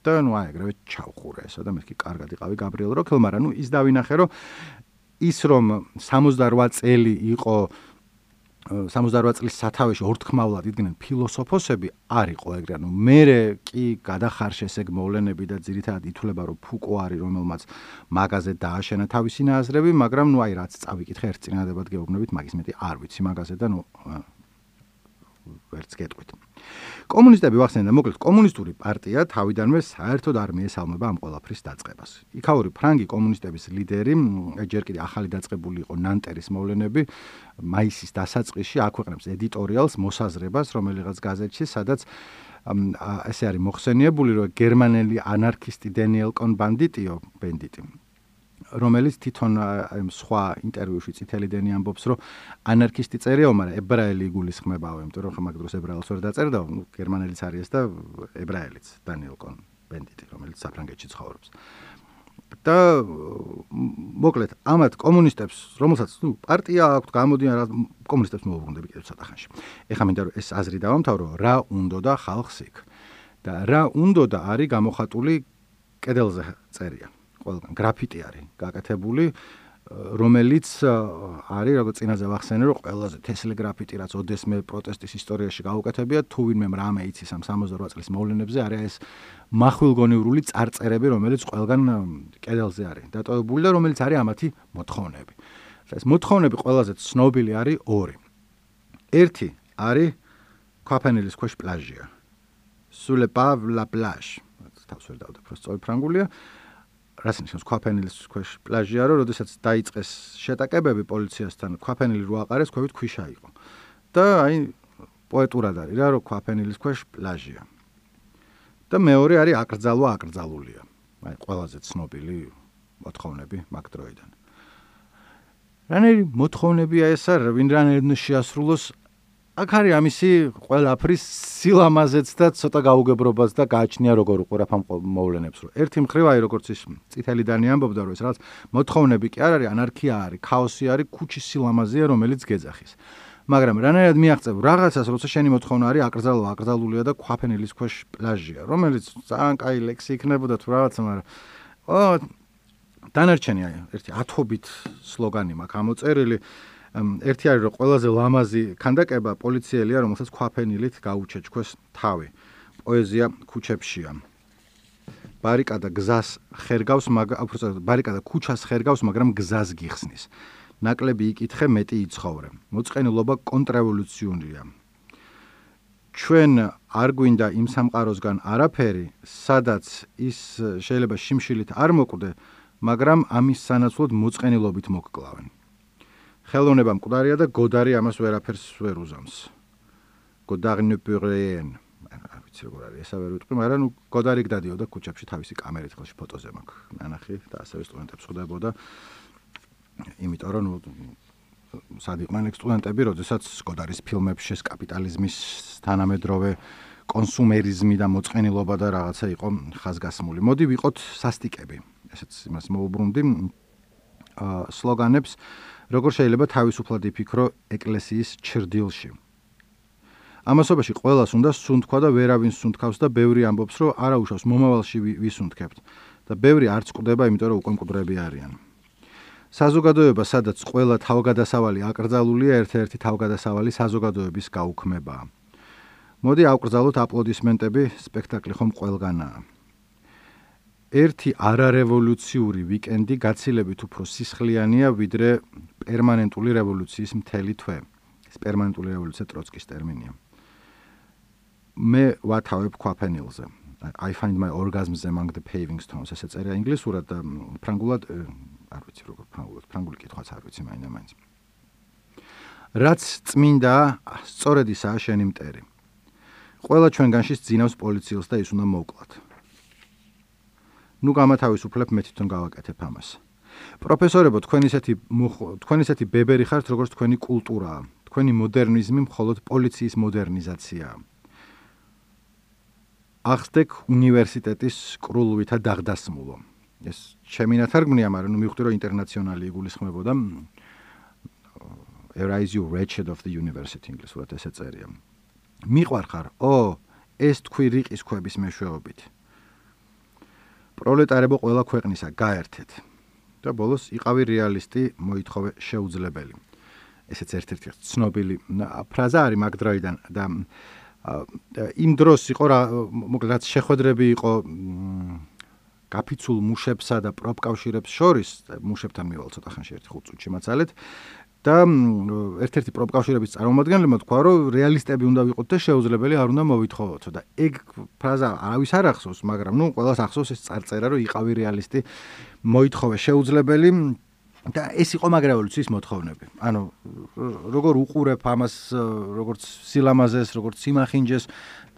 Speaker 1: და ნუ აი ეგრევე ჩავხურე ესა და მეთქი კარგად იყავი გაბრიელ როკჰილ მაგრამ ნუ ის დავინახე რომ ის რომ სამოცდარვა წელი იყო სამოცდარვა წლის სათავეში ორთქმავლად იდგნენ ფილოსოფოსები არ იყო ეგრე ანუ მერე კი გადახარშეს ეგ მოვლენები და ძირითადად ითვლება რომ ფუკო არის რომელმაც მაგაზე დააშენა თავისი ნაზრები მაგრამ ნუ აი რაც წავიკითხე ერთ წინადებად გეუბნებით მაგის მეტი არ ვიცი მაგაზე და ნუ ვერც გეტყვით კომუნისტები ვახსენე და მოკლედ კომუნისტური პარტია თავიდანვე საერთოდ არ მიესალმება ამ ყველაფრის დაწყებას. იქაური ფრანგი კომუნისტების ლიდერი, ჯერ კიდე ახალი დაწყებული იყო ნანტერის მოვლენები, მაისის დასაწყისში აქვეყნებს ედიტორიალს, მოსაზრებას, რომელიღაც გაზეთში, სადაც ესე არის მოხსენიებული, რომ გერმანელი ანარქისტი დენიელ კონ-ბანდიტიო, ბენდიტი რომელიც თვითონ სხვა ინტერვიუში წითელი დენი ამბობს, რომ ანარქისტი წერიაო, მაგრამ ებრაელი იგულისხმებაო, იმიტომ რომ ხომ მაგდროს ებრაელს ვერ დაწერდა, ნუ გერმანელიც არის და ებრაელიც, დანიელ კონ-ბენდიტი, რომელიც საფრანგეთში ცხოვრობს. და მოკლედ, ამათ კომუნისტებს, რომელსაც ნუ პარტია აქვთ, გამოდიან რა კომუნისტებს მოუბრუნდები კიდევ ცოტა ხანში. ეხლა მინდა რომ ეს აზრი დავამთავრო, რა უნდოდა ხალხს იქ. და რა უნდოდა არის გამოხატული კედელზე წერია. ყველგან გრაფიტი არის გაკეთებული, რომელიც არის, როგორც წინაზე ვახსენე, რომ ყველაზე თესლი გრაფიტი, რაც ოდესმე პროტესტის ისტორიაში გაუკეთებია, თუ ვინმე რამე იცის ამ სამოცდაოთხ წლის მოვლენებზე, არის ეს מחვილგონივრული წარწერები, რომელიც ყველგან კედელზე არის დატოვებული და რომელიც არის ამათი მოთხოვნები. ეს მოთხოვნები ყველაზე ცნობილი არის ორი. ერთი არის ქვაფენილის ქვეშ პლაჟია. Sous le pave la plage. თავს ვერ დავდებ, რომ სწორი ფრანგულია. რაც ნიშნავს ქვაფენილის ქვეშ პლაჟია, რომ როდესაც დაიწყეს შეტაკებები პოლიციასთან, ქვაფენილი რო აყარეს, ქვევით ქვიშა იყო. და აი პოეტურად არის რა, რომ ქვაფენილის ქვეშ პლაჟია. და მეორე არის აკრძალვა აკრძალულია. აი ყველაზე ცნობილი მოთხოვნები მაგ დროიდან. რანერი მოთხოვნებია ეს არ, ვინ რანერი შეასრულოს, აქ არის ამისი ყველაფრის სილამაზეც და ცოტა გაუგებრობას და გააჩნია როგორ უყურებ ამ მოვლენებს, რომ ერთი მხრივ აი როგორც ის წითელი დანი ამბობდა, რომ ეს რაღაც მოთხოვნები კი არ არის, ანარქია არის, ქაოსი არის, ქუჩის სილამაზეა, რომელიც გეძახის. მაგრამ რანაირად მიაღწევ რაღაცას, როცა შენი მოთხოვნა არის აკრძალვა, აკრძალულია და ქვაფენილის ქვეშ პლაჟია, რომელიც ძალიან კაი ლექსი იქნებოდა თუ რაღაცა, მაგრამ ო დანარჩენი აი ერთი ათობით სლოგანი მაქვს ამოწერილი. ერთი არის რომ ყველაზე ლამაზი ქანდაკება პოლიციელია, რომელსაც ქვაფენილით გაუჩეჩქვეს თავი. პოეზია ქუჩებშია. ბარიკადა გზას ხერგავს, მაგრამ ბარიკადა ქუჩას ხერგავს, მაგრამ გზას გიხსნის. ნაკლები იკითხე, მეტი იცხოვრე. მოწყენილობა კონტრრევოლუციონია. ჩვენ არ გვინდა იმ სამყაროსგან არაფერი, სადაც ის შეიძლება შიმშილით არ მოკვდე, მაგრამ ამის სანაცვლოდ მოწყენილობით მოგკლავენ. ხელოვნება მკვდარია და გოდარი ამას ვერაფერს ვერ უზამს. Godard ne peut rien. არ ვიცი როგორ არის ესა ვერ ვიტყვი, მაგრამ ნუ გოდარი გდადიოდა ქუჩებში თავისი კამერით ხელში ფოტოზე მაქვს. ნანახი და ასევე სტუდენტებს ხვდებოდა. იმიტომ რომ ნუ სად იყვნენ სტუდენტები, როდესაც გოდარის ფილმებში ეს კაპიტალიზმის თანამედროვე კონსუმერიზმი და მოწყენილობა და რაღაცა იყო ხაზგასმული. მოდი ვიყოთ სასტიკები. ესეც იმას მოუბრუნდი სლოგანებს, როგორ შეიძლება თავისუფლად იფიქრო ეკლესიის ჩრდილში. ამასობაში ყველას უნდა სუნთქვა და ვერავინ სუნთქავს და ბევრი ამბობს, რომ არაუშავს მომავალში ვისუნთქებთ და ბევრი არც კვდება, იმიტომ რომ უკვე მკვდრები არიან. საზოგადოება, სადაც ყველა თავგადასავალი აკრძალულია, ერთ-ერთი თავგადასავალი საზოგადოების გაუქმებაა. მოდი ავკრძალოთ აპლოდისმენტები, სპექტაკლი ხომ ყველგანაა. ერთი არარევოლუციური ვიკენდი გაცილებით უფრო სისხლიანია, ვიდრე პერმანენტული რევოლუციის მთელი თვე. ეს პერმანენტული რევოლუცია ტროცკის ტერმინია. მე ვათავებ ქვაფენილზე. I find my orgasms among the paving stones. ესე წერია ინგლისურად და ფრანგულად არ ვიცი როგორ ფრანგულად, ფრანგული კითხვაც არ ვიცი მაინდა-მაინც. რაც წმინდა, სწორედ ისაა შენი მტერი. ყველა ჩვენგანში ძინავს პოლიციელს და ის უნდა მოვკლათ. ნუ გამათავისუფლებ, მე თვითონ გავაკეთებ ამას. პროფესორებო, თქვენ ისეთი თქვენ ისეთი ბებერი ხართ, როგორც თქვენი კულტურაა. თქვენი მოდერნიზმი მხოლოდ პოლიციის მოდერნიზაციაა. ახსდեք უნივერსიტეტის კრულვითა დაღდასმულო. ეს ჩემი ნათარგმნია, მაგრამ ნუ მივხვდი, რომ ინტერნაციონალი იგულისხმებოდა. Arise you wretched of the university ინგლისურად ესე წერია. მიყვარხარ, ო, ეს თქვი რიყის ქვების მეშვეობით. პროლეტარებო ყველა ქვეყნისა გაერთეთ. და ბოლოს იყავი რეალისტი, მოითხოვე შეუძლებელი. ესეც ერთ-ერთი ცნობილი ფრაზა არის მაგ დროიდან და იმ დროს იყო რა, მოკლედ რაც შეხვედრები იყო გაფიცულ მუშებსა და პროფკავშირებს შორის, მუშებთან მივალ ცოტა ხანში ერთი ხუთ წუთში მაცალეთ და ერთ-ერთი პროფკავშირების წარმომადგენლებმა თქვა, რომ რეალისტები უნდა ვიყოთ და შეუძლებელი არ უნდა მოვითხოვოთ და ეგ ფრაზა არავის არ ახსოვს, მაგრამ ნუ ყველას ახსოვს ეს წარწერა, რომ იყავი რეალისტი, მოითხოვე შეუძლებელი და ეს იყო მაგ რევოლუციის მოთხოვნები. ანუ როგორ უყურებ ამას, როგორც სილამაზეს, როგორც სიმახინჯეს,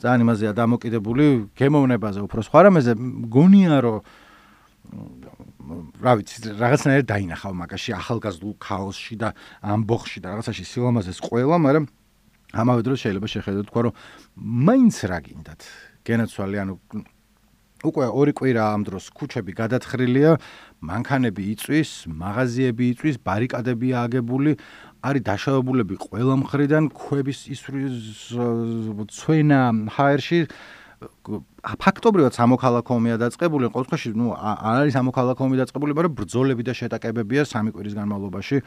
Speaker 1: ძალიან იმაზეა დამოკიდებული, გემოვნებაზე უფრო სხვა რამეზე, მგონია რომ რა ვიცი, რაღაცნაირად დაინახავ მაგაში ახალგაზრდულ ქაოსში და ამბოხში და რაღაცაში სილამაზეს ყველა, მაგრამ ამავე დროს შეიძლება შეხედოთ თქვა, რომ მაინც რა გინდათ. გენაცვალი, ანუ უკვე ორი კვირა ამ დროს ქუჩები გადათხრილია, მანქანები იწვის, მაღაზიები იწვის, ბარიკადები აგებული, არის დაშავებულები ყველა მხრიდან, ქვების ისვრის ცვენა ჰაერში. ფაქტობრივად სამოქალაქო ომია დაწყებული, ყოველ შემთხვევაში, ნუ არ არის სამოქალაქო ომი დაწყებული, მაგრამ ბრძოლები და შეტაკებებია სამი კვირის განმავლობაში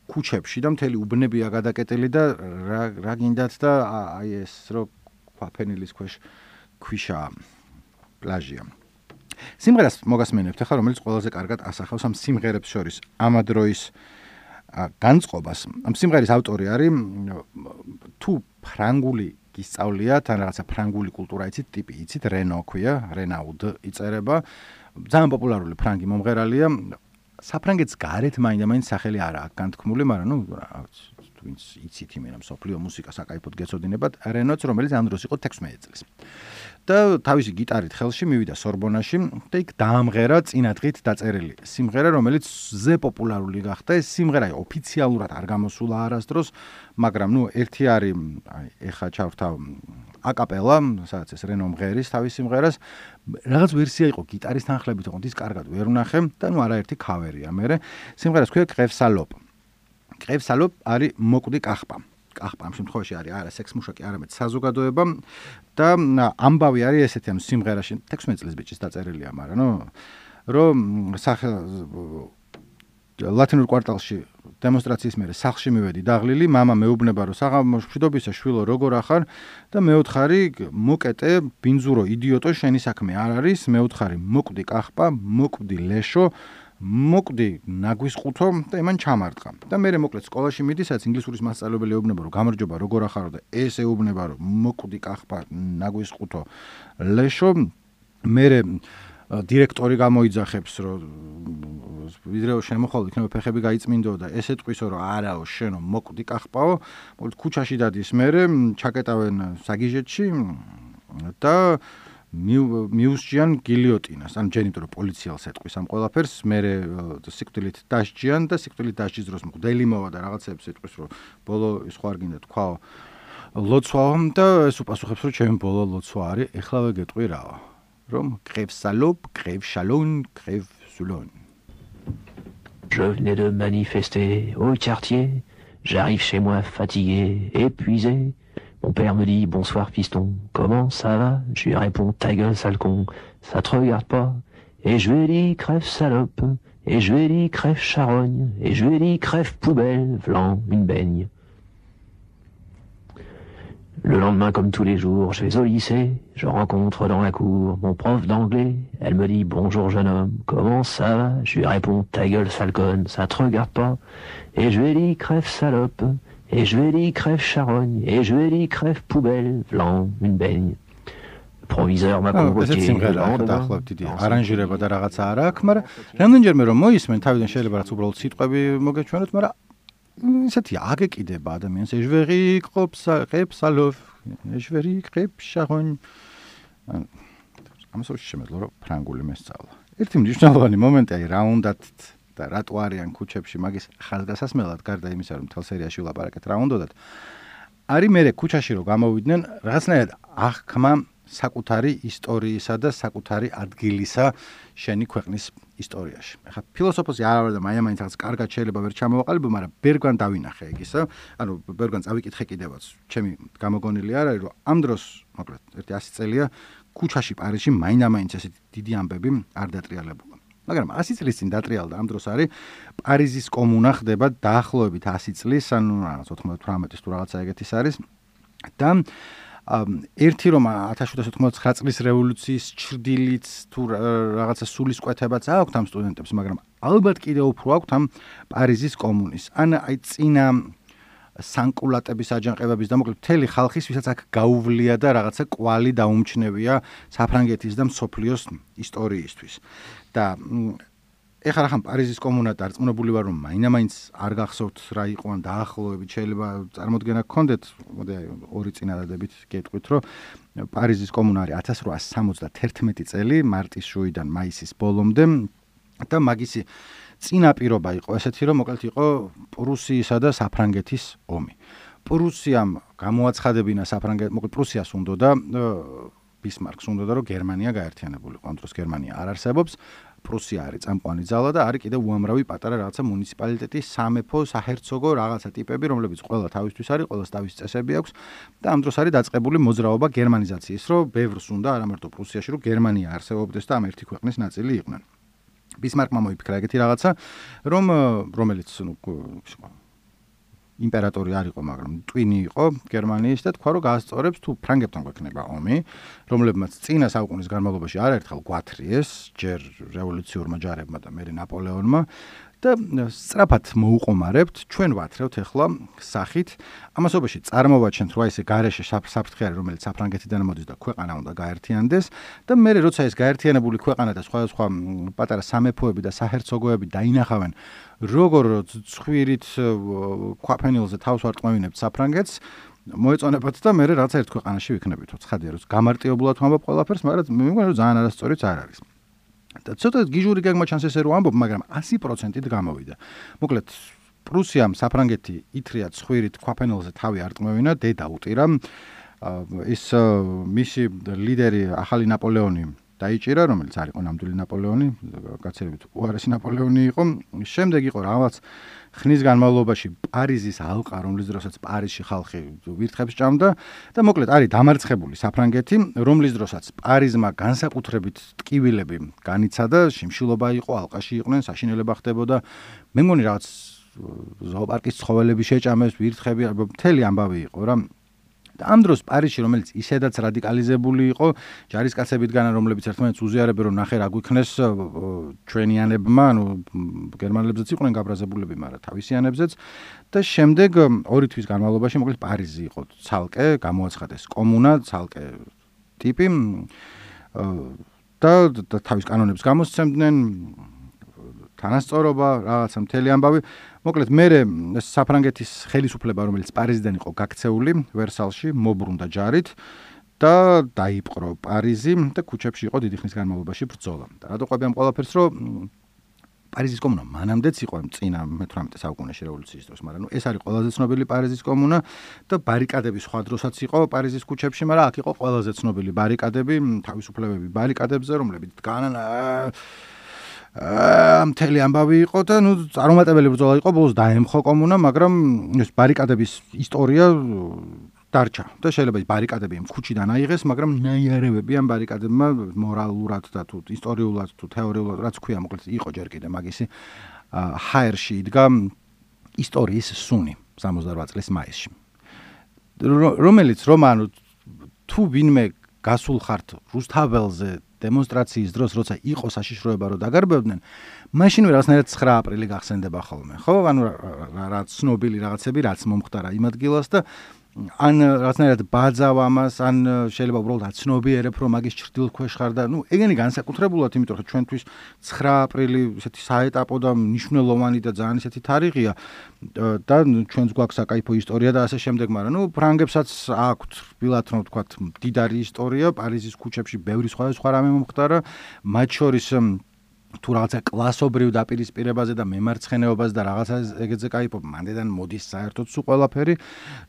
Speaker 1: ქუჩებში და მთელი უბნებია გადაკეტილი და რა რა გინდათ და აი ეს რო ქვაფენილის ქვეშ ქვიშა პლაჟია. სიმღერას მოგასმენებთ ახლა, რომელიც ყველაზე კარგად ასახავს ამ სიმღერებს შორის ამადროის განწყობას. ამ სიმღერის ავტორი არის თუ ფრანგული გისწავლიათ, ან რაღაცა ფრანგული კულტურა იცით, ტიპი იცით, რენო ქვია, რენაუდ იწერება. ძალიან პოპულარული ფრანგი მომღერალია. საფრანგეთს გარეთ მაინდა-მაინც სახელი არა აქვს განთქმული, მაგრამ ნუ ვინც იცით იმენა მსოფლიო მუსიკას აკაიფოდ გეცოდინებათ, რენოც, რომელიც ამ დროს იყო თექვსმეტი წლის. და თავისი გიტარით ხელში მივიდა სორბონაში და იქ დაამღერა წინადღით დაწერილი სიმღერა, რომელიც ზე პოპულარული გახდა. ეს სიმღერა ოფიციალურად არ გამოსულა არასდროს, მაგრამ ნუ ერთი არის, აი, ეხა ჩავრთავ აკაპელა, სადაც ეს რენო მღერის თავის სიმღერას, რაღაც ვერსია იყო გიტარის თანხლებით, თუმცა ის კარგად ვერ ვნახე და ნუ არაერთი ქავერია. მერე სიმღერას ქვია კრევსალოპ. კრევსალოპ არის მოკვდი კახპა. კახპა ამ შემთხვევაში არის არა სექსმუშაკი, არამედ საზოგადოება და ამბავი არის ესეთი, ანუ სიმღერაში თექვსმეტი წლის ბიჭის დაწერილია, მაგრამ ნუ რომ ლათინურ კვარტალში დემონსტრაციის მერე სახლში მივედი დაღლილი, მამა მეუბნება რომ საღამოს მშვიდობისა შვილო როგორ ახარ და მეოთხარი მოკეტე ბინძურო იდიოტო შენი საქმე არ არის, მეოთხარი მოკვდი კახპა, მოკვდი ლეშო, მოკვდი ნაგვისყუთო და იმან ჩამარტყა. და მე მოკლედ სკოლაში მიდი, სადაც ინგლისურის მასწავლებელი ეუბნება რომ გამარჯობა როგორ ახარო და ეს ეუბნება რომ მოკვდი კახპა, ნაგვისყუთო, ლეშო, მე დირექტორი გამოიძახებს რომ ვიდრე შემოხვალ იქნება ფეხები გაიწმინდო და ეს ეტყვისო რომ არაო შენო მოკვდი კახპაო, მოკლედ ქუჩაში დადის მე ჩაკეტავენ საგიჟეთში და მიუსჯიან გილიოტინას, ან ჯერ იმიტომ რომ პოლიციელს ეტყვის ამ ყველაფერს, მე სიკვდილით დასჯიან და სიკვდილით დასჯის დროს მღვდელი მოვა და რაღაცებს ეტყვის რომ ბოლო სხვა არ გინდა თქვაო ლოცვაო და ეს უპასუხებს რომ ჩემი ბოლო ლოცვა არის, ეხლავე გეტყვი რაო, რომ crève salope, crève chalon, crève soulon.
Speaker 3: Je venais de manifester au quartier, j'arrive chez moi fatigué, épuisé. Mon père me dit bonsoir piston, comment ça va? Je lui réponds ta gueule sale con, ça te regarde pas. Et je lui ai dit crève salope, et je lui ai dit crève charogne, et je lui ai dit crève poubelle, v'lan une baigne. Le lendemain, comme tous les jours, je vais au lycée, je rencontre dans la cour mon prof d'anglais. Elle me dit bonjour jeune homme, comment ça va? Je lui réponds ta gueule sale conne, ça te regarde pas. Et je lui ai dit crève salope, et je lui ai dit crève charogne, et je lui ai dit crève poubelle, v'lan une baigne. Le proviseur m'a convoqué.
Speaker 1: არანჟირება და რაღაცა არ აქვს, მაგრამ რამდენჯერმე რომ მოისმენ, თავიდან შეიძლება რაც უბრალოდ სიტყვები მოგეჩვენოთ, მაგრამ ისეთი აგეკიდება ადამიანს, ეჟვერი ყობს, ყებს ალოფ, ეჟვერი ყებს შაღონ. ამას შეშემეძლო რომ ფრანგული მესწავლა. ერთი მნიშვნელოვანი მომენტი აი რა უნდათ და რატო არიან ქუჩებში მაგის ხალხგასასმელად გარდა იმისა რომ მთელ სერიაში ვლაპარაკეთ რა უნდათ. არის მე ქუჩაში რომ გამოვიდნენ რაღაცნაირად აღქმა საკუთარი ისტორიისა და საკუთარი ადგილისა შენი ქვეყნის ისტორიაში. ახლა ფილოსოფოსი არ ვარ და მაინც რაღაც კარგად შეიძლება ვერ ჩამოვაყალიბო, მაგრამ ბერგვან დავინახე ეგისა. ანუ ბერგვან წავიკითხე კიდევაც. ჩემი გამოგონილი არ არის რომ ამ დროს, მოკლედ, ერთი ასი წელია ქუჩაში პარიზში მაინდა-მაინც ესეთი დიდი ამბები არ დატრიალებულა. მაგრამ ასი წლის წინ დატრიალდა ამ დროს არის პარიზის კომუნა ხდება დაახლოებით ასი წლის, ანუ რაღაც ოთხმოცდაოთხის თუ რაღაცა ეგეთის არის და ერთი რომ ათას შვიდსათ ოთხმოცდათხმეტ წლის რევოლუციის ჩრდილით თუ რაღაცა სულისკვეთებაც აქვს ამ სტუდენტებს, მაგრამ ალბათ კიდევ უფრო აქვს ამ პარიზის კომუნის. ან აი წინა სანკულატების აჯანყებების და მოკლედ მთელი ხალხის, ვისაც აქ გაუვლია და რაღაცა კვალი დაუმჩნევია საფრანგეთის და მსოფლიოს ისტორიისთვის. და ეხლა რახან პარიზის კომუნა დარწმუნებული ვარ რომ მაინდა-მაინც არ გახსოვთ რა იყო ან დაახლოებით შეიძლება წარმოდგენა გქონდეთ, მოდი აი ორი წინადადებით გეტყვით რომ პარიზის კომუნა არის ათას რვაასი სამოცდათერთმეტი წელი მარტის შუიდან მაისის ბოლომდე და მაგისი წინაპირობა იყო ესეთი, რომ მოკლედ იყო პრუსიისა და საფრანგეთის ომი. პრუსიამ გამოაცხადებინა საფრანგეთ, მოკლედ პრუსიას უნდოდა ბისმარკს უნდოდა რომ გერმანია გაერთიანებულიყო. ამ დროს გერმანია არ არსებობს. პრუსია არის წამყვანი ძალა და არის კიდევ უამრავი პატარა რაღაცა მუნიციპალიტეტი, სამეფო, საჰერცოგო რაღაცა ტიპები, რომლებიც ყველა თავისთვის არის, ყველას თავის წესები აქვს და ამ დროს არის დაწყებული მოძრაობა გერმანიზაციის, რომ ბევრს უნდა არა მარტო პრუსიაში, რომ გერმანია არსებობდეს და ამ ერთი ქვეყნის ნაწილი იყვნენ. ბისმარკმა მოიფიქრა ეგეთი რაღაცა, რომ რომელიც ნუ იმპერატორი არ იყო, მაგრამ ტვინი იყო გერმანიის და თქვა, რომ გაასწორებს თუ ფრანგებთან გვექნება ომი, რომლებმაც წინა საუკუნის განმავლობაში არაერთხელ გვათრიეს, ჯერ რევოლუციურმა ჯარებმა და მერე ნაპოლეონმა და სწრაფად მოუყომარებთ, ჩვენ ვათრევთ ახლა სახით, ამასობაში წარმოვაჩენთ, რომ ესე გარეშე საფრთხე არის, რომელიც საფრანგეთიდან მოდის და ქვეყანა უნდა გაერთიანდეს და მერე როცა ეს გაერთიანებული ქვეყანა და სხვადასხვა პატარა სამეფოები და საჰერცოგოები დაინახავენ, როგორ ცხვირით ქვაფენილზე თავს ვარტყმევინებთ საფრანგეთს, მოეწონებათ და მერე რაღაც ერთ ქვეყანაში ვიქნებითო. ცხადია, რომ გამარტიებულად ვამბობ ყველაფერს, მაგრამ მე მგონი რომ ძალიან არასწორიც არ არის. და ცოტა გიჟური გეგმა ჩანს ესე რომ ამბობ, მაგრამ ასი პროცენტით გამოვიდა. მოკლედ პრუსიამ საფრანგეთი ითრია ცხვირით ქვაფენილზე თავი არტყმევინა, დედა უტირა. ის მისი ლიდერი ახალი ნაპოლეონი დაიჭირა, რომელიც არ იყო ნამდვილი ნაპოლეონი, გაცილებით უარესი ნაპოლეონი იყო. შემდეგ იყო რაღაც ხნის განმავლობაში პარიზის ალყა, რომლის დროსაც პარიზში ხალხი ვირთხებს ჭამდა და მოკლედ არის დამარცხებული საფრანგეთი, რომლის დროსაც პარიზმა განსაკუთრებით ტკივილები განიცადა, შიმშილობა იყო, ალყაში იყვნენ, საშინელება ხდებოდა. მე მგონი რაღაც ზოოპარკის ცხოველები შეჭამეს, ვირთხები, მთელი ამბავი იყო რა. ამ დროს პარიზში, რომელიც ისედაც რადიკალიზებული იყო, ჯარისკაცებიდან, რომლებიც ერთმანეთს უზიარებენ, რომ ნახე რა გვიქნეს ჩვენიანებმა, ანუ გერმანელებზეც იყვნენ გაბრაზებულები, მაგრამ თავისიანებზეც და შემდეგ ორი თვის განმავლობაში მოკლედ პარიზი იყო ცალკე, გამოაცხადეს კომუნა, ცალკე ტიპი და თავის კანონებს გამოსცემდნენ, თანასწორობა, რაღაცა მთელი ამბავი. მოკლედ მე საფრანგეთის ხელისუფლება, რომელიც პარიზიდან იყო გაქცეული ვერსალში, მობრუნდა ჯარით და დაიპყრო პარიზი და ქუჩებში იყო დიდი ხნის განმავლობაში ბრძოლა. და რატო ყვები ამ ყველაფერს, რომ პარიზის კომუნა მანამდეც იყო წინა მეთვრამეტე საუკუნეში რევოლუციის დროს, მაგრამ ნუ ეს არის ყველაზე ცნობილი პარიზის კომუნა და ბარიკადები სხვა დროსაც იყო პარიზის ქუჩებში, მაგრამ აქ იყო ყველაზე ცნობილი ბარიკადები, თავისუფლებები ბარიკადებზე, რომლებიც დგანან აა მთელი ამბავი იყო და ნუ წარუმატებელი ბრძოლა იყო, ბოლოს დაემხო კომუნა, მაგრამ ეს ბარიკადების ისტორია დარჩა და შეიძლება ის ბარიკადები ამ ქუჩიდან აიღეს, მაგრამ ნაიარევები ამ ბარიკადებმა მორალურად და თუ ისტორიულად თუ თეორიულად რაც ქვია, მოკლედ იყო ჯერ კიდე მაგისი ჰაერში იდგა ისტორიის სუნი სამოცდარვა წლის მაისში, რომელიც რომანუ თუ ვინმე გასულ ხართ რუსთაველზე დემონსტრაციის დროს, როცა იყო საშიშროება რომ დაგარბებდნენ, მაშინვე რაღაცნაირად ცხრა აპრილი გახსენდება ხოლმე. ხო, ანუ რა ცნობილი რაღაცები, რაც მომხდარა იმ ადგილას და ან რაღაცნაირად ბაძავ ამას, ან შეიძლება უბრალოდ აცნობიერებ, რომ მაგის ჩრდილთ ქვეშ ხარ და ნუ ეგენი განსაკუთრებულად, იმიტომ რომ ჩვენთვის ცხრა აპრილი ესეთი საეტაპო და მნიშვნელოვანი და ძალიან ესეთი თარიღია და ჩვენს გვაქვს საკაიფო ისტორია და ასე შემდეგ, მაგრამ ნუ ფრანგებსაც აქვთ რბილად რომ ვთქვათ მდიდარი ისტორია, პარიზის ქუჩებში ბევრი სხვადასხვა რამე მომხდარა, მათ შორის თუ რაღაცა კლასობრივ დაპირისპირებაზე და მემარცხენეობაზე და რაღაცა ეგეთზე кайფობ, მანდედან მოდის საერთოდ სულ ყველაფერი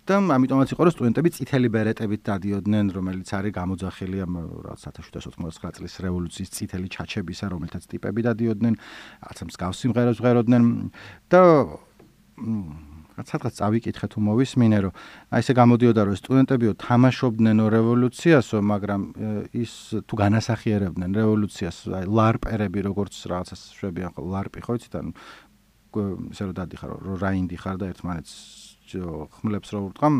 Speaker 1: და ამიტომაც იყო რომ სტუდენტები წითელი ბერეტებით დადიოდნენ, რომელიც არის გამოძახილი ამ რაღაც ოთხ ათას ოცდათხმეტ წლის რევოლუციის წითელი ჩაჩებისა, რომელთაც ტიპები დადიოდნენ, რაღაცა მსგავს სიმღერებს ვღეროდნენ და სადღაც წავიკითხე თუ მოვისმინე, რომ აი ესე გამოდიოდა რომ სტუდენტებიო თამაშობდნენ რევოლუციასო, მაგრამ ის თუ განასახიერებდნენ რევოლუციას, აი ლარპერები როგორც რაღაცას შვებიან ხო ლარპი ხო იცით, ანუ ესე რომ დადიხარ რომ რაინდი ხარ და ერთმანეთს ხმლებს რო ურტყამ,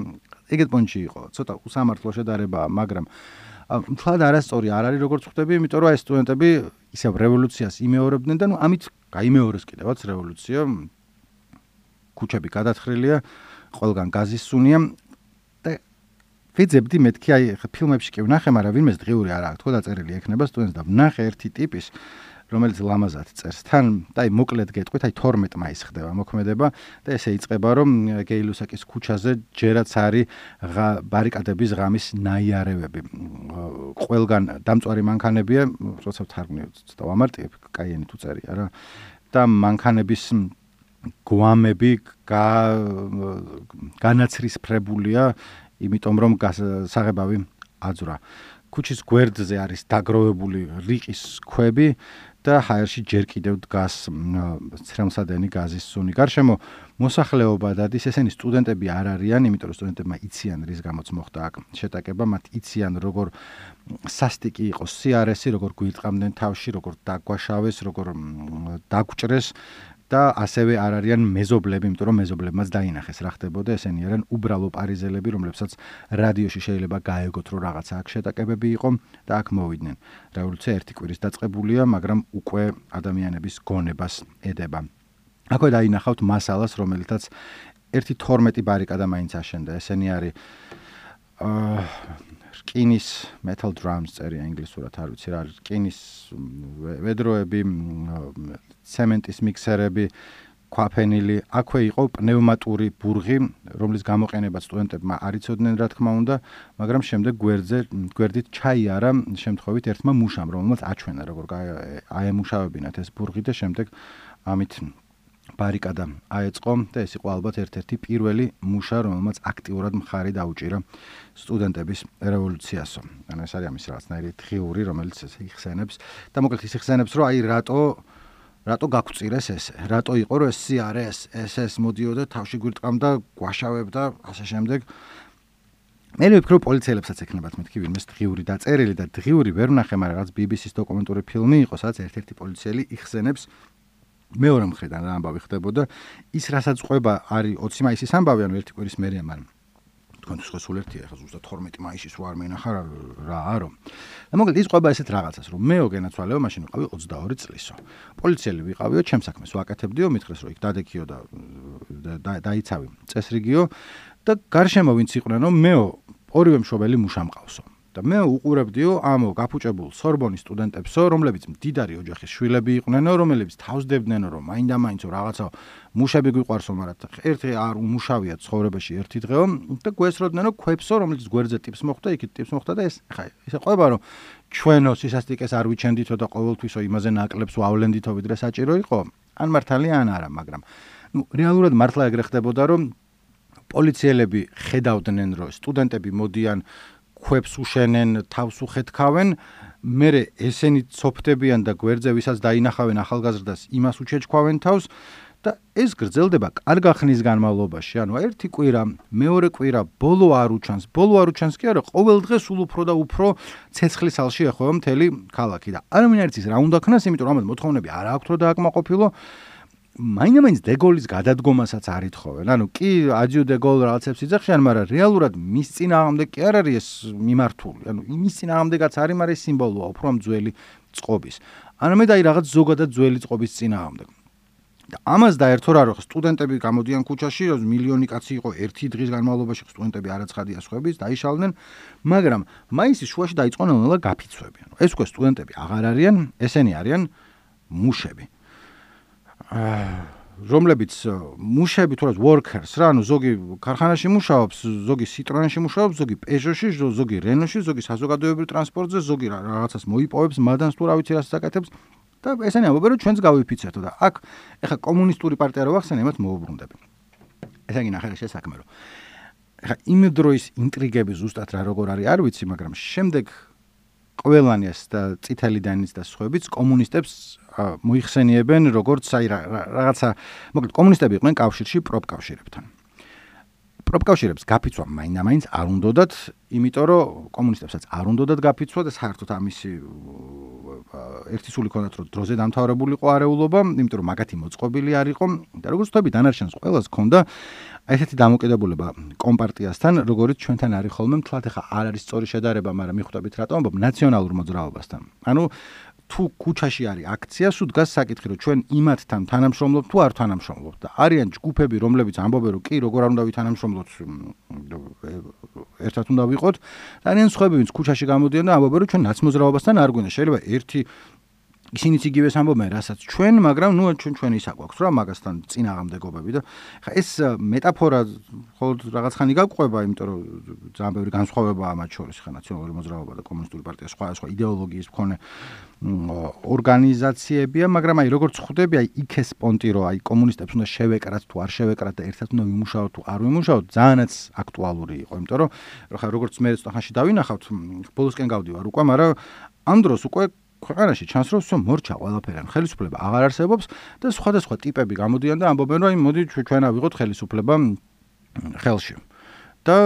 Speaker 1: ეგეთ პონჩი იყო. ცოტა უსამართლო შედარებაა, მაგრამ მთლად არასწორი არ არის როგორც ხვდები, იმიტომ რომ აი სტუდენტები ისევ რევოლუციას იმეორებდნენ და ნუ ამით გაიმეორეს კიდევაც რევოლუცია. ქუჩები გადათხრილია, ყველგან გაზის სუნია და ვიძებდი მეთქი აი ფილმებში კი ვნახე, მაგრამ ვინმეს დღიური არ აქვს, თქო დაწერილი ექნება სტუდენტს და ვნახე ერთი ტიპის, რომელიც ლამაზად წერს. თან და აი მოკლედ გეტყვით, აი თორმეტ მაისს ხდება მოქმედება და ესე იწყება, რომ გეილუსაკის ქუჩაზე ჯერაც არის ბარიკადების ღამის ნაიარევები. ყველგან დამწვარი მანქანებია, როცა ვთარგმნი ცოტა ვამარტივებ, კაიენი თუ წერია რა. და მანქანების გვამები განაცრისფრებულია, იმიტომ რომ საღებავი აძვრა. ქუჩის გვერდზე არის დაგროვებული რიყის ქვები და ჰაერში ჯერ კიდევ დგას ცრემლსადენი გაზის სუნი. გარშემო მოსახლეობა დადის, ესენი სტუდენტები არ არიან, იმიტომ რომ სტუდენტებმა იციან რის გამოც მოხდა აქ შეტაკება, მათ იციან როგორ სასტიკი იყო სიარესი, როგორ გვირტყამდნენ თავში, როგორ დაგვაშავეს, როგორ დაგჭრეს და ასევე არ არიან მეზობლები, იმიტომ რომ მეზობლებმაც დაინახეს რა ხდებოდა, ესენი არიან უბრალო პარიზელები, რომლებსაც რადიოში შეიძლება გაეგოთ, რომ რაღაცა აქ შეტაკებები იყო და აქ მოვიდნენ. რევოლუცია ერთი კვირის დაწყებულია, მაგრამ უკვე ადამიანების გონებას ედება. აქვე დაინახავთ მასალას, რომელთაც ერთი თორმეტი ბარიკადა მაინც აშენდა. ესენი არის რკინის metal drums წერია ინგლისურად, არ ვიცი რა არის, რკინის ვედროები, ცემენტის მიქსერები, ქვაფენილი, აქვე იყო პნევმატური ბურღი, რომლის გამოყენებაც სტუდენტებმა არ იცოდნენ, რა თქმა უნდა, მაგრამ შემდეგ გვერდზე გვერდით ჩაიარა შემთხვევით ერთმა მუშამ, რომელმაც აჩვენა, როგორ აემუშავებინათ ეს ბურღი და შემდეგ ამით ბარიკადა აეწყო და ეს იყო ალბათ ერთ-ერთი პირველი მუშა, რომელმაც აქტიურად მხარი დაუჭირა სტუდენტების რევოლუციასო. ანუ ეს არის ამის რაღაცნაირი დღიური, რომელიც იხსენებს და მოკლედ ის იხსენებს, რომ აი რატო რატო გაგვწირეს ესე? რატო იყო რომ ეს სიარეს, ეს ეს მოდიოდა თავში გვირტყამდა, გვაშავებდა, ასე შემდეგ. მე ვფიქრობ, პოლიციელებსაც ექნებათ მეთქი ვინმეს დღიური დაწერილი და დღიური ვერ ვნახე, მაგრამ რაღაც ბი ბი სის დოკუმენტური ფილმი იყო, სადაც ერთ-ერთი პოლიციელი იხსენებს მეორე მხრიდან რა ამბავი ხდებოდა. ის რასაც ყვება არის ოცი მაისის ამბავი, ანუ ერთი კვირის მერეა, მაგრამ თქვენთვის ხო სულ ერთია, ახლა ზუსტად თორმეტი მაისის რო არ მენახა რა არო. და მოკლედ ის ყვება ესეთ რაღაცას, რომ მეო გენაცვალეო, მაშინ ვიყავი ოცდაორი წლისო. პოლიციელი ვიყავიო, ჩემს საქმეს ვაკეთებდიო, მითხრეს რომ იქ დადექიო და დაიცავი წესრიგიო და გარშემო ვინც იყვნენ, მეო ორივე მშობელი მუშა მყავსო. და მე უყურებდიო ამ გაფუჭებულ სორბონის სტუდენტებსო, რომლებიც მდიდარი ოჯახის შვილები იყვნენო, რომლებიც თავსდებდნენო, რომ მაინდა-მაინც რაღაცა მუშები გვიყვარსო, მაგრამ ერთი არ უმუშავია ცხოვრებაში ერთი დღეო და გვესროდნენ ქვებსო, რომელიც გვერდზე ტიპს მოხდა, იქით ტიპს მოხდა და ეს ხა ესე ყვება, რომ ჩვენო სისასტიკეს არ ვიჩენდითო და ყოველთვისო იმაზე ნაკლებს ვავლენდითო, ვიდრე საჭირო იყო, ან მართალია ან არა, მაგრამ ნუ რეალურად მართლა ეგრე ხდებოდა, რომ პოლიციელები ხედავდნენ, რომ სტუდენტები მოდიან ქვებს უშენენ, თავს უხეთქავენ, მერე ესენი ცოფდებიან და გვერდზე ვისაც დაინახავენ ახალგაზრდას, იმას უჩეჩქვავენ თავს და ეს გრძელდება კარგა ხნის განმავლობაში. ანუ ერთი კვირა, მეორე კვირა, ბოლო არ უჩანს, ბოლო არ უჩანს კი არა, ყოველ დღე სულ უფრო და უფრო ცეცხლის ალში ეხვევა მთელი ქალაქი და არამინ არ იცის რა უნდა ქნას, იმიტომ რომ ამათ მოთხოვნები არ აქვს რომ დააკმაყოფილო. მაინდა-მაინც დეგოლის გადადგომასაც არ ითხოვენ. ანუ კი აჯიუ დეგოლ რაღაცებს იძახიან, მაგრამ რეალურად მის წინააღმდეგ კი არ არის ეს მიმართული. ანუ იმის წინააღმდეგაც არის, მაგრამ ეს სიმბოლოა უფრო ამ ძველი წყობის. არამედ აი რაღაც ზოგადად ძველი წყობის წინააღმდეგ. და ამას დაერთო რა რომ სტუდენტები გამოდიან ქუჩაში, რომ მილიონი კაცი იყო ერთი დღის განმავლობაში, სტუდენტები არაცხადია სხვების, დაიშალდნენ, მაგრამ მაისის შუაში დაიწყო ნელ-ნელა გაფიცვები. ანუ ეს უკვე სტუდენტები აღარ არიან, ესენი არიან მუშები. რომლებიც მუშები თუ რა workers რა, ანუ ზოგი ქარხანაში მუშაობს, ზოგი Citroen-ში მუშაობს, ზოგი Peugeot-ში, ზოგი Renault-ში, ზოგი საზოგადოებრივ ტრანსპორტზე, ზოგი რაღაცას მოიპოვებს, მადანს თუ რა ვიცი რას აკეთებს და ესენი ამბობენ რომ ჩვენც გავიფიცეთო და აქ ეხა კომუნისტური პარტია რო ახსენე, იმათ მოუბრუნდები. ესე იგი ნახე ეს საქმე რომ ეხა იმ დროის ინტრიგები ზუსტად რა როგორ არის არ ვიცი, მაგრამ შემდეგ ყველანიას და წითელი დანის და სხვაებიც კომუნისტებს მოიხსენიებენ როგორც აი რაღაცა, მოკლედ კომუნისტები იყვნენ კავშირში პროფკავშირებთან. პროფკავშირებს გაფიცვა მაინდა-მაინც არ უნდათ, იმიტომ რომ კომუნისტებსაც არ უნდათ გაფიცვა და საერთოდ ამისი ერთი სული ქონდათ რომ დროზე დამთავრებული იყო არეულობა, იმიტომ რომ მაგათი მოწყობილი არ იყო და როგორც ვთქვი დანარჩენს ყველას ქონდა ესეთი დამოკიდებულება კომპარტიასთან, როგორც ჩვენთან არის ხოლმე, მთლად ახლა არ არის სწორი შედარება, მაგრამ მიხვდებით რატომ ამბობ ნაციონალურ მოძრაობასთან. ანუ თუ ქუჩაში არის აქცია, სულ დგას საკითხი, რომ ჩვენ იმათთან თანამშრომლობთ თუ არ თანამშრომლობთ და არიან ჯგუფები, რომლებიც ამბობენ, რომ კი, როგორ არ უნდა ვითანამშრომლოთ, ერთად უნდა ვიყოთ, და არიან სხვები, ვინც ქუჩაში გამოდიან და ამბობენ, რომ ჩვენ ნაცმოძრაობასთან არ გვინდა. შეიძლება ერთი ისინიც იგივეს ამბობენ, რასაც ჩვენ, მაგრამ ნუ ჩვენ ჩვენ ისა გვაქვს რა მაგასთან წინააღმდეგობები და ხა ეს მეტაფორა ხოლმე რაღაც ხანი გაგვყვება, იმიტომ რომ ძალიან ბევრი განსხვავებაა მათ შორის, ხა ნაციონალური მოძრაობა და კომუნისტური პარტია სხვა სხვა იდეოლოგიის მქონე ორგანიზაციებია, მაგრამ აი როგორც ხვდები, აი იქეს პონტი რომ აი კომუნისტებს უნდა შევეკრათ თუ არ შევეკრათ და ერთად უნდა ვიმუშაოთ თუ არ ვიმუშაოთ, ძალიანაც აქტუალური იყო, იმიტომ რომ ხა როგორც მე სწორხანში დავინახავთ, ბოლოსკენ გავდივარ უკვე, მაგრამ ამ დროს უკვე ქვეყანაში ჩანს რომ всё მორჩა ყველაფერი, ხელისუფლება აღარ არსებობს და სხვადასხვა ტიპები გამოდიან და ამბობენ რომ აი მოდი ჩვენ ავიღოთ ხელისუფლება ხელში. და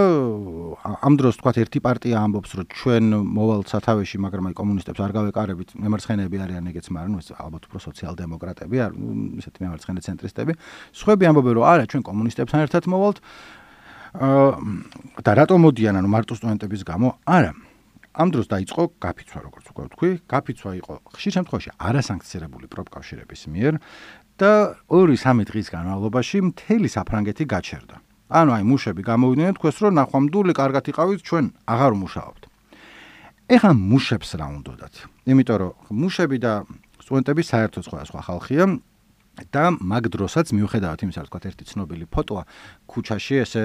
Speaker 1: ამ დროს თქვათ ერთი პარტია ამბობს რომ ჩვენ მოვალთ სათავეში, მაგრამ აი კომუნისტებს არ გავეკარებით, მემარცხენეები არიან ეგეც, მაგრამ ნუ ეს ალბათ უფრო სოციალ-დემოკრატები არ, ისეთი მემარცხენე ცენტრისტები. სხვები ამბობენ რომ არა, ჩვენ კომუნისტებთან ერთად მოვალთ. და რატომ მოდიან, ანუ მარტო სტუდენტების გამო? არა. ამ დროს დაიწყო გაფიცვა, როგორც უკვე ვთქვი, გაფიცვა იყო ხშირ შემთხვევაში არასანქციონირებული პროფკავშირების მიერ და ორი სამი დღის განმავლობაში მთელი საფრანგეთი გაჩერდა. ანუ აი მუშები გამოვიდნენ თქვეს რომ ნახვამდული კარგად იყავით, ჩვენ აღარ ვმუშაობთ. ეხლა მუშებს რა უნდათ? იმიტომ რომ მუშები და სტუდენტები საერთოდ სხვა სხვა ხალხია და მაგ დროსაც მიუხედავად იმისა, რომ თქვათ ერთი ცნობილი ფოტოა ქუჩაში, ესე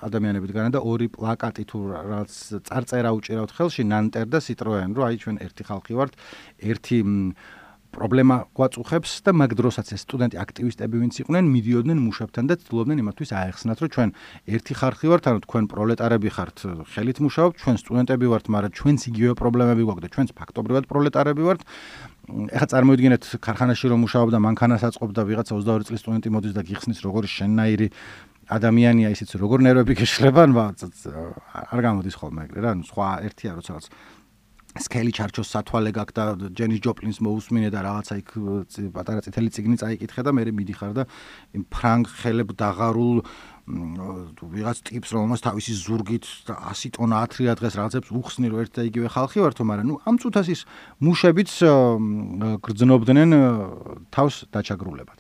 Speaker 1: ადამიანები დგანან და ორი პლაკატი თუ რაღაც წარწერა უჭირავთ ხელში, ნანტერ და სიტროენ, რომ აი ჩვენ ერთი ხალხი ვართ, ერთი პრობლემა გვაწუხებს და მაგ დროსაც ეს სტუდენტი აქტივისტები ვინც იყვნენ, მიდიოდნენ მუშებთან და ცდილობდნენ იმათთვის აეხსნათ, რომ ჩვენ ერთი ხალხი ვართ, ანუ თქვენ პროლეტარები ხართ, ხელით მუშაობთ, ჩვენ სტუდენტები ვართ, მაგრამ ჩვენც იგივე პრობლემები გვაქვს და ჩვენც ფაქტობრივად პროლეტარები ვართ. ეხლა წარმოიდგინეთ ქარხანაში რომ მუშაობდა, მანქანას აწყობდა ვიღაცა ოცდაორი წლის სტუდენტი მოდის და გიხსნის როგორი შენნაირი ადამიანია ისიც როგორ ნერვები გეშლება, არ გამოდის ხოლმე ეგრე რა, სხვა ერთია როცა რაღაც სკელი ჩარჩოს სათვალე გაქვს და ჯენის ჯოპლინს მოусმინე და რაღაცა იქ პატარა წითელი წიგნი წაიკითხე და მე მიდიხარ და იმ ფრანგ ხელებ დაღარულ ვიღაც ტიპს რომელმაც თავისი ზურგით ასი ტონა ათრია დღეს რაღაცებს უხსნი რომ ერთ და იგივე ხალხი ვართო, მაგრამ ნუ ამ წუთას ის მუშებიც გრძნობდნენ თავს დაჩაგრულებად.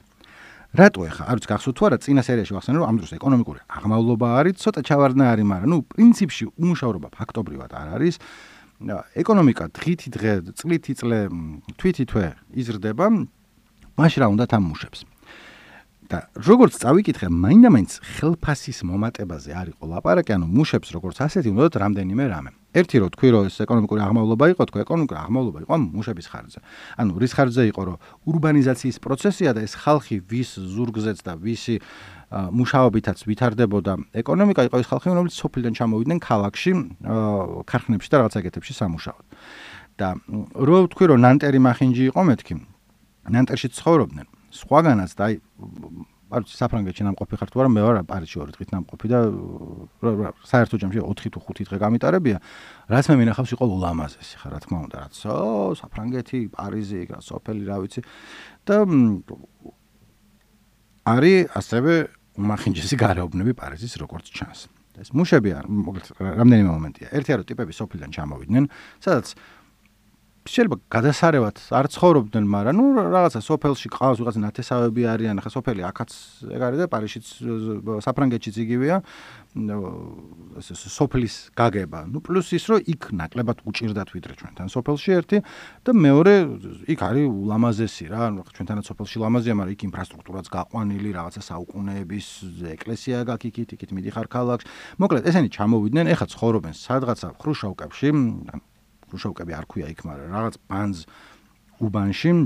Speaker 1: რატო ეხა? არ ვიცი გახსოვთ თუ არა, წინა სერიაში ვახსენე რომ ამ დროს ეკონომიკური აღმავლობა არის, ცოტა ჩავარდნა არის, მაგრამ ნუ პრინციპში უმუშავრობა ფაქტობრივად არ არის. ეკონომიკა დღითი დღე, წლითი წლე, თვითი თვე იზრდება, მაშინ რა უნდათ ამ მუშებს. და როგორც წავიკითხე, მაინდა-მაინც ხელფასის მომატებაზე არ იყო ლაპარაკი, ანუ მუშებს როგორც ასეთი უნდათ რამდენიმე რამე. ერთი რო თქვი რომ ეს ეკონომიკური აღმავლობა იყო, თქვი ეკონომიკური აღმავლობა იყო მუშების ხარჯზე. ანუ რის ხარჯზე იყო, რომ ურბანიზაციის პროცესია და ეს ხალხი ვის ზურგზეც და ვისი მუშაობითაც ვითარდებოდა ეკონომიკა იყო ეს ხალხი, რომლებიც სოფლიდან ჩამოვიდნენ ქალაქში, ქარხნებში და რაღაც ეგეთებში სამუშაოდ. და რო თქვი რომ ნანტერი მახინჯი იყო მეთქი, ნანტერში ცხოვრობდნენ. სხვაგანაც და აი არ ვიცი საფრანგეთში ნამყოფი ხარ თუ არა, მე ვარ პარიზში ორი დღით ნამყოფი და საერთო ჯამში ოთხი თუ ხუთი დღე გამიტარებია, რაც მე მინახავს იყო ულამაზესი ხარ, რა თქმა უნდა, რაც ო საფრანგეთი, პარიზი, რა სოფელი, რა ვიცი და არის ასევე უმახინჯესი გარეუბნები პარიზის როგორც ჩანს. ეს მუშები არ, მოკლედ რამდენიმე მომენტია. ერთია რომ ტიპები სოფლიდან ჩამოვიდნენ, სადაც შეიძლება გადასარევად არ ცხოვრობდნენ, მაგრამ ნუ რაღაცა სოფელში ყავს ვიღაცა ნათესავები არიან, ახლა სოფელი აქაც ეგ არის და პარიზშიც საფრანგეთშიც იგივეა, ეს სოფლის გაგება. ნუ პლუს ის რომ იქ ნაკლებად უჭირდათ ვიდრე ჩვენთან სოფელში ერთი და მეორე იქ არის ულამაზესი რა, ჩვენთანაც სოფელში ლამაზია, მაგრამ იქ ინფრასტრუქტურაც გაყვანილი, რაღაცა საუკუნეების ეკლესია გაქვს იქით, იქით მიდიხარ ქალაქში. მოკლედ ესენი ჩამოვიდნენ, ეხლა ცხოვრობენ სადღაცა ხრუშოვკებში, ხრუშოვკები არ ქვია იქ, მაგრამ რაღაც ბანზ უბანში,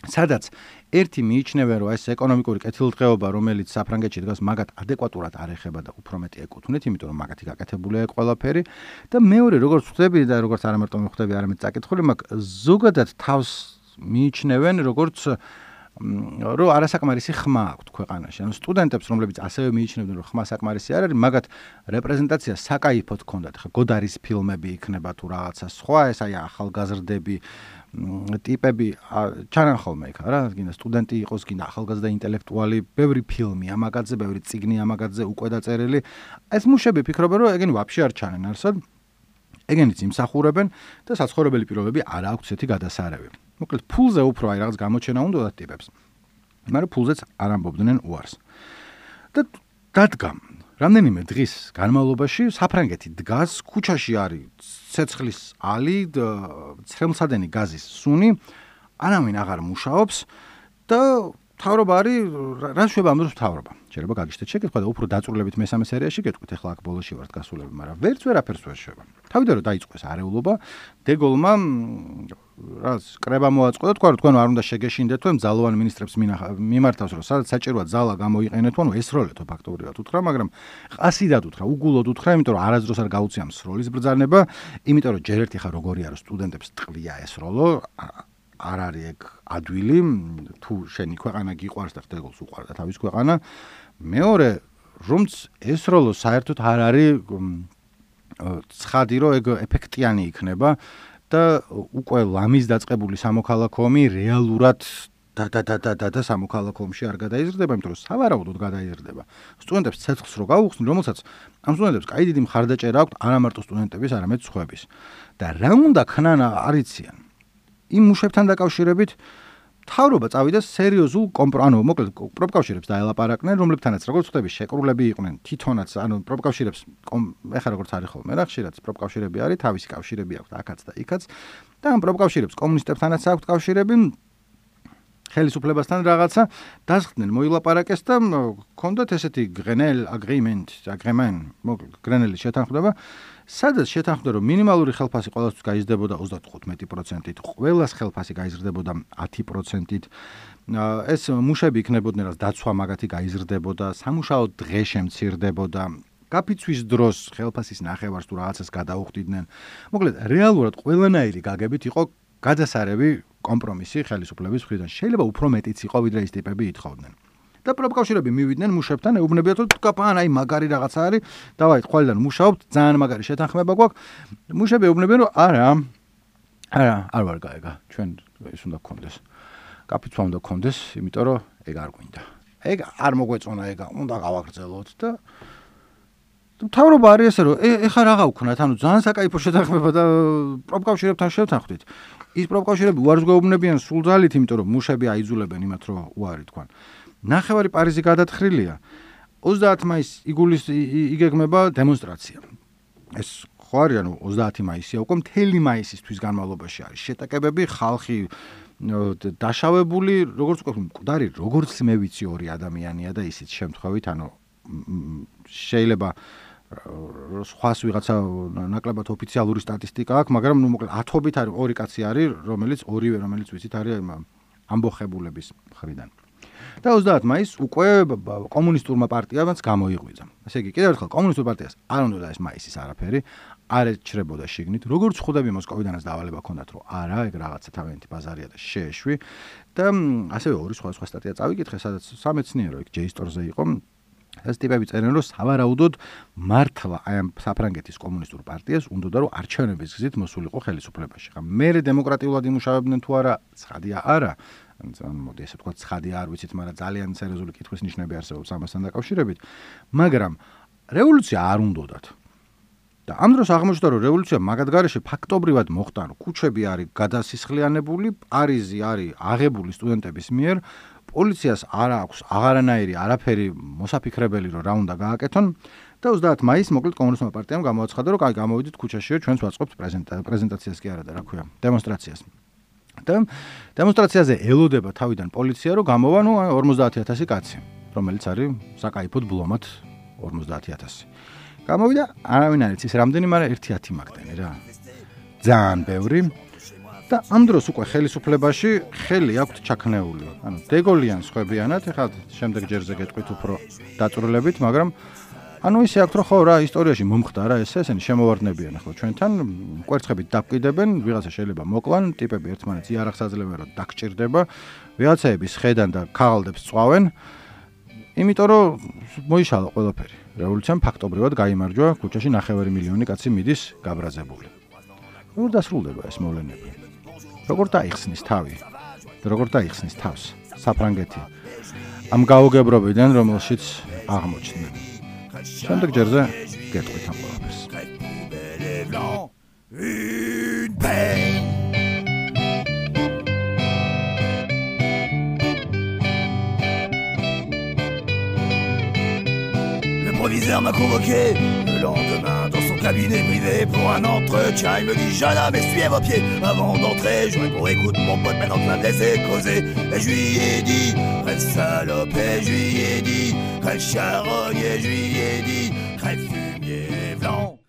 Speaker 1: სადაც ერთი მიიჩნევენ, რომ ეს ეკონომიკური კეთილდღეობა, რომელიც საფრანგეთში დგას, მაგათ ადეკვატურად არ ეხება და უფრო მეტი ეკუთვნით, იმიტომ რომ მაგათი გაკეთებულია ყველაფერი. და მეორე, როგორც ხვდები და როგორც არა მარტო ხვდები, არამედ წაკითხული, მაგ ზოგადად თავს მიიჩნევენ, როგორც რომ არასაკმარისი ხმა აქვთ ქვეყანაში. ანუ სტუდენტებს, რომლებიც ასევე მიიჩნევდნენ, რომ ხმა საკმარისი არ არის, მაგათ რეპრეზენტაცია საკაიფოდ ჰქონდათ. ხა გოდარის ფილმები იქნება თუ რაღაცა სხვა, ეს აი ახალგაზრდები ტიპები ჩანან ხოლმე იქ რა, გინდა სტუდენტი იყოს, გინდა ახალგაზრდა ინტელექტუალი, ბევრი ფილმი ამაგადზე, ბევრი წიგნი ამაგადზე უკვე დაწერილი. ეს მუშები ფიქრობენ, რომ ეგენი ვაფშე არ ჩანენ არსად. ეგენიც იმსახურებენ და საცხოვრებელი პირობები არ აქვს ესეთი გადასარევი. მოკლედ ფულზე უფრო აი რაღაც გამოჩენა უნდათ ტიპებს. მაგრამ ფულზეც არ ამბობდნენ უარს. და დადგა რამდენიმე დღის განმავლობაში საფრანგეთი დგას, ქუჩაში არის ცეცხლის ალი, ცრემლსადენი გაზის სუნი, არავინ აღარ მუშაობს და მთავრობა არის რა შვება ამ დროს მთავრობა. შეიძლება გაგიშთეთ შეკითხვა და უფრო დაწვრილებით მესამე სერიაში გეტყვით, ახლა აქ ბოლოში ვართ გასულები, მაგრამ ვერც ვერაფერს ვერ შვება. თავიდან რომ დაიწყოს არეულობა, დეგოლმა რას კრება მოაწყო და თქვა რომ თქვენ არ უნდა შეგეშინდეთ, თუ მძალოვან მინისტრებს მიმართავს, რომ სადაც საჭიროა ძალა გამოიყენეთ, ანუ ესროლეთო ფაქტობრივად უთხრა, მაგრამ ყასიდად უთხრა, უგულოდ უთხრა, იმიტომ რომ არასდროს არ გაუწია სროლის ბრძანება, იმიტომ რომ ჯერ ერთი ხა როგორი არის სტუდენტებს ტყლია ესროლო, არ არის ეგ ადვილი, თუ შენი ქვეყანა გიყვარს და ხდებოს უყვარდა თავის ქვეყანა. მეორე, რომც ესროლო საერთოდ არ არის ცხადი, რომ ეგ ეფექტიანი იქნება და უკვე ლამის დაწყებული სამოქალაქო ომი რეალურად და და და და და სამოქალაქო ომში არ გადაიზრდება, იმიტომ რომ სავარაუდოდ გადაიზრდება. სტუდენტებს ცეცხლს რო გაუხსნი, რომელსაც ამ სტუდენტებს კაი დიდი მხარდაჭერა აქვთ არა მარტო სტუდენტების, არამედ სხვების. და რა უნდა ქნან არიციან. იმ მუშებთან დაკავშირებით მთავრობა წავიდა სერიოზულ კომპრომისს, ანუ მოკლედ პროფკავშირებს დაელაპარაკნენ, რომლებთანაც როგორც ხდები შეკრულები იყვნენ, თვითონაც, ანუ პროფკავშირებს ეხლა როგორც არის ხოლმე, რა ხშირად პროფკავშირები არის, თავისი კავშირები აქვთ აქაც და იქაც და ამ პროფკავშირებს კომუნისტებთანაც აქვთ კავშირები, ხელისუფლებასთან რაღაცა დასხდნენ, მოილაპარაკეს და ჰქონდათ ესეთი გრენელ აგრიმენტ, აგრემენ, მოკლედ გრენელის შეთანხმება, სადაც შეთანხმდა, რომ მინიმალური ხელფასი ყველასთვის გაიზრდებოდა ოცდათხუთმეტი პროცენტით, ყველას ხელფასი გაიზრდებოდა ათი პროცენტით. ეს მუშები იქნებოდნენ, რაც დაცვა მაგათი გაიზრდებოდა, სამუშაო დღე შემცირდებოდა, გაფიცვის დროს ხელფასის ნახევარს თუ რაღაცას გადაუხდიდნენ. მოკლედ, რეალურად ყველანაირი გაგებით იყო გადასარევი კომპრომისი ხელისუფლების მხრიდან. შეიძლება უფრო მეტიც იყო, ვიდრე ის ტიპები ითხოვდნენ. და პროფკავშირები მივიდნენ მუშებთან, ეუბნებიათ, რომ თქვენ აი მაგარი რაღაცა არის, დავაით ყველგან მუშაობთ, ძალიან მაგარი შეთანხმება გვაქვს. მუშები ეუბნებიან, რომ არა, არა, არ ვარ გაიგა, ჩვენ ის უნდა გქონდეს. კაფეცვა უნდა გქონდეს, იმიტომ რომ ეგ არ გვინდა. ეგ არ მოგვეწონა ეგ, უნდა გავაგრძელოთ და მთავრობა არის ესე, რომ ეხლა რაღა ვქნათ, ანუ ძალიან საკაიფო შეთანხმება და პროფკავშირებთან შევთანხმდით. ის პროფკავშირები უარს გვეუბნებიან სულ ძალით, იმიტომ რომ მუშები აიძულებენ იმათ, რომ უარი თქვან. ნახევარი პარიზი გადათხრილია. ოცდაათი მაისს იგულის იგეგმება დემონსტრაცია. ეს ხო არის, ანუ ოცდაათი მაისია, უკვე მთელი მაისისთვის განმავლობაში არის შეტაკებები, ხალხი დაშავებული, როგორც უკვე მკვდარი, როგორც მე ვიცი ორი ადამიანია და ისიც შემთხვევით, ანუ შეიძლება სხვას ვიღაცა ნაკლებად ოფიციალური სტატისტიკა აქვს, მაგრამ ნუ მოკლედ ათობით არის ორი კაცი არის, რომელიც ორივე რომელიც ვიცით არის ამბოხებულების მხრიდან. და ოცდაათი მაისს უკვე კომუნისტურმა პარტიამაც გამოიღვიძა. ესე იგი, კიდევ ერთხელ კომუნისტურ პარტიას არ უნდა ეს მაისის არაფერი, არ ეჩრებოდა შიგნით. როგორც ხვდები მოსკოვიდანაც დავალება ჰქონდათ, რომ არა, ეგ რაღაცა თავიანთი ბაზარია და შეეშვი და ასევე ორი სხვა სხვა სტატია წავიკითხე, სადაც სამეცნიერო ეგ ჯეისტორზე იყო. ეს ტიპები წერენ, რომ სავარაუდოდ მართლა აი ამ საფრანგეთის კომუნისტურ პარტიას უნდა რომ არჩევნების გზით მოსულიყო ხელისუფლებაში. ხა მერე დემოკრატიულად იმუშავებდნენ თუ არა, ცხადია არა. ან მოდი ესე ვთქვა, ცხადია არ ვიცით, მაგრამ ძალიან სერიოზული კითხვის ნიშნები არსებობს ამასთან დაკავშირებით. მაგრამ რევოლუცია არ უნდათ. და ამ დროს აღმოჩნდა, რომ რევოლუცია მაგათ გარეშე ფაქტობრივად მოხდა, რომ ქუჩები არის გადასისხლიანებული, პარიზი არის აღებული სტუდენტების მიერ, პოლიციას არ აქვს აღარანაირი არაფერი მოსაფიქრებელი, რომ რა უნდა გააკეთონ და ოცდაათი მაისს მოკლედ კომუნისტურმა პარტიამ გამოაცხადა, რომ აი გამოვიდით ქუჩაშიო, ჩვენც ვაწყობთ პრეზენტაციას კი არა და რა ქვია, დემონსტრაციას. და დემონსტრაციაზე ელოდება თავიდან პოლიცია, რომ გამოვა ნუ ორმოცდაათი ათასი კაცი, რომელიც არის საკაიფოდ ბლომად ორმოცდაათი ათასი. გამოვიდა, არავინ არ იცის რამდენი, მაგრამ ერთი ათი მაგდენი რა. ძალიან ბევრი. და ამ დროს უკვე ხელისუფლებაში ხელი აქვთ ჩაქნეული. ანუ დეგოლიან სხვებიანად, ეხლა შემდეგ ჯერზე გეტყვით უფრო დაწვრილებით, მაგრამ ანუ ისე აქვთ, რომ ხო რა ისტორიაში მომხდარა ესე, ესენი შემოვარდნებიან ახლა ჩვენთან, კვერცხებით დაფკიდებენ, ვიღაცა შეიძლება მოკლან, ტიპები ერთმანეთს იარაღს აძლევენ, რომ დაგჭირდება, ვიღაცაები სხედან და ქაღალდებს წვავენ. იმიტომ რომ მოიშალა ყველაფერი. რევოლუციამ ფაქტობრივად გაიმარჯვა, ქუჩაში ნახევარი მილიონი კაცი მიდის გაბრაზებული. როგორ დასრულდება ეს მოვლენები? როგორ დაიხსნის თავი? როგორ დაიხსნის თავს საფრანგეთი? ამ გაუგებრობიდან, რომელშიც აღმოჩნდნენ. შემდეგ ჯერზე გეტყვით ამ ყველაფერს.
Speaker 4: proviseur m'a convoqué le lendemain dans son cabinet privé pour un entretien. Il me dit jeune homme, essuyez vos pieds avant d'entrer. Je réponds écoute mon pote, maintenant tu vas me laisser causer. Et je lui ai dit crève salope, et je lui ai dit crève charogne, et je lui ai dit crève fumier blanc.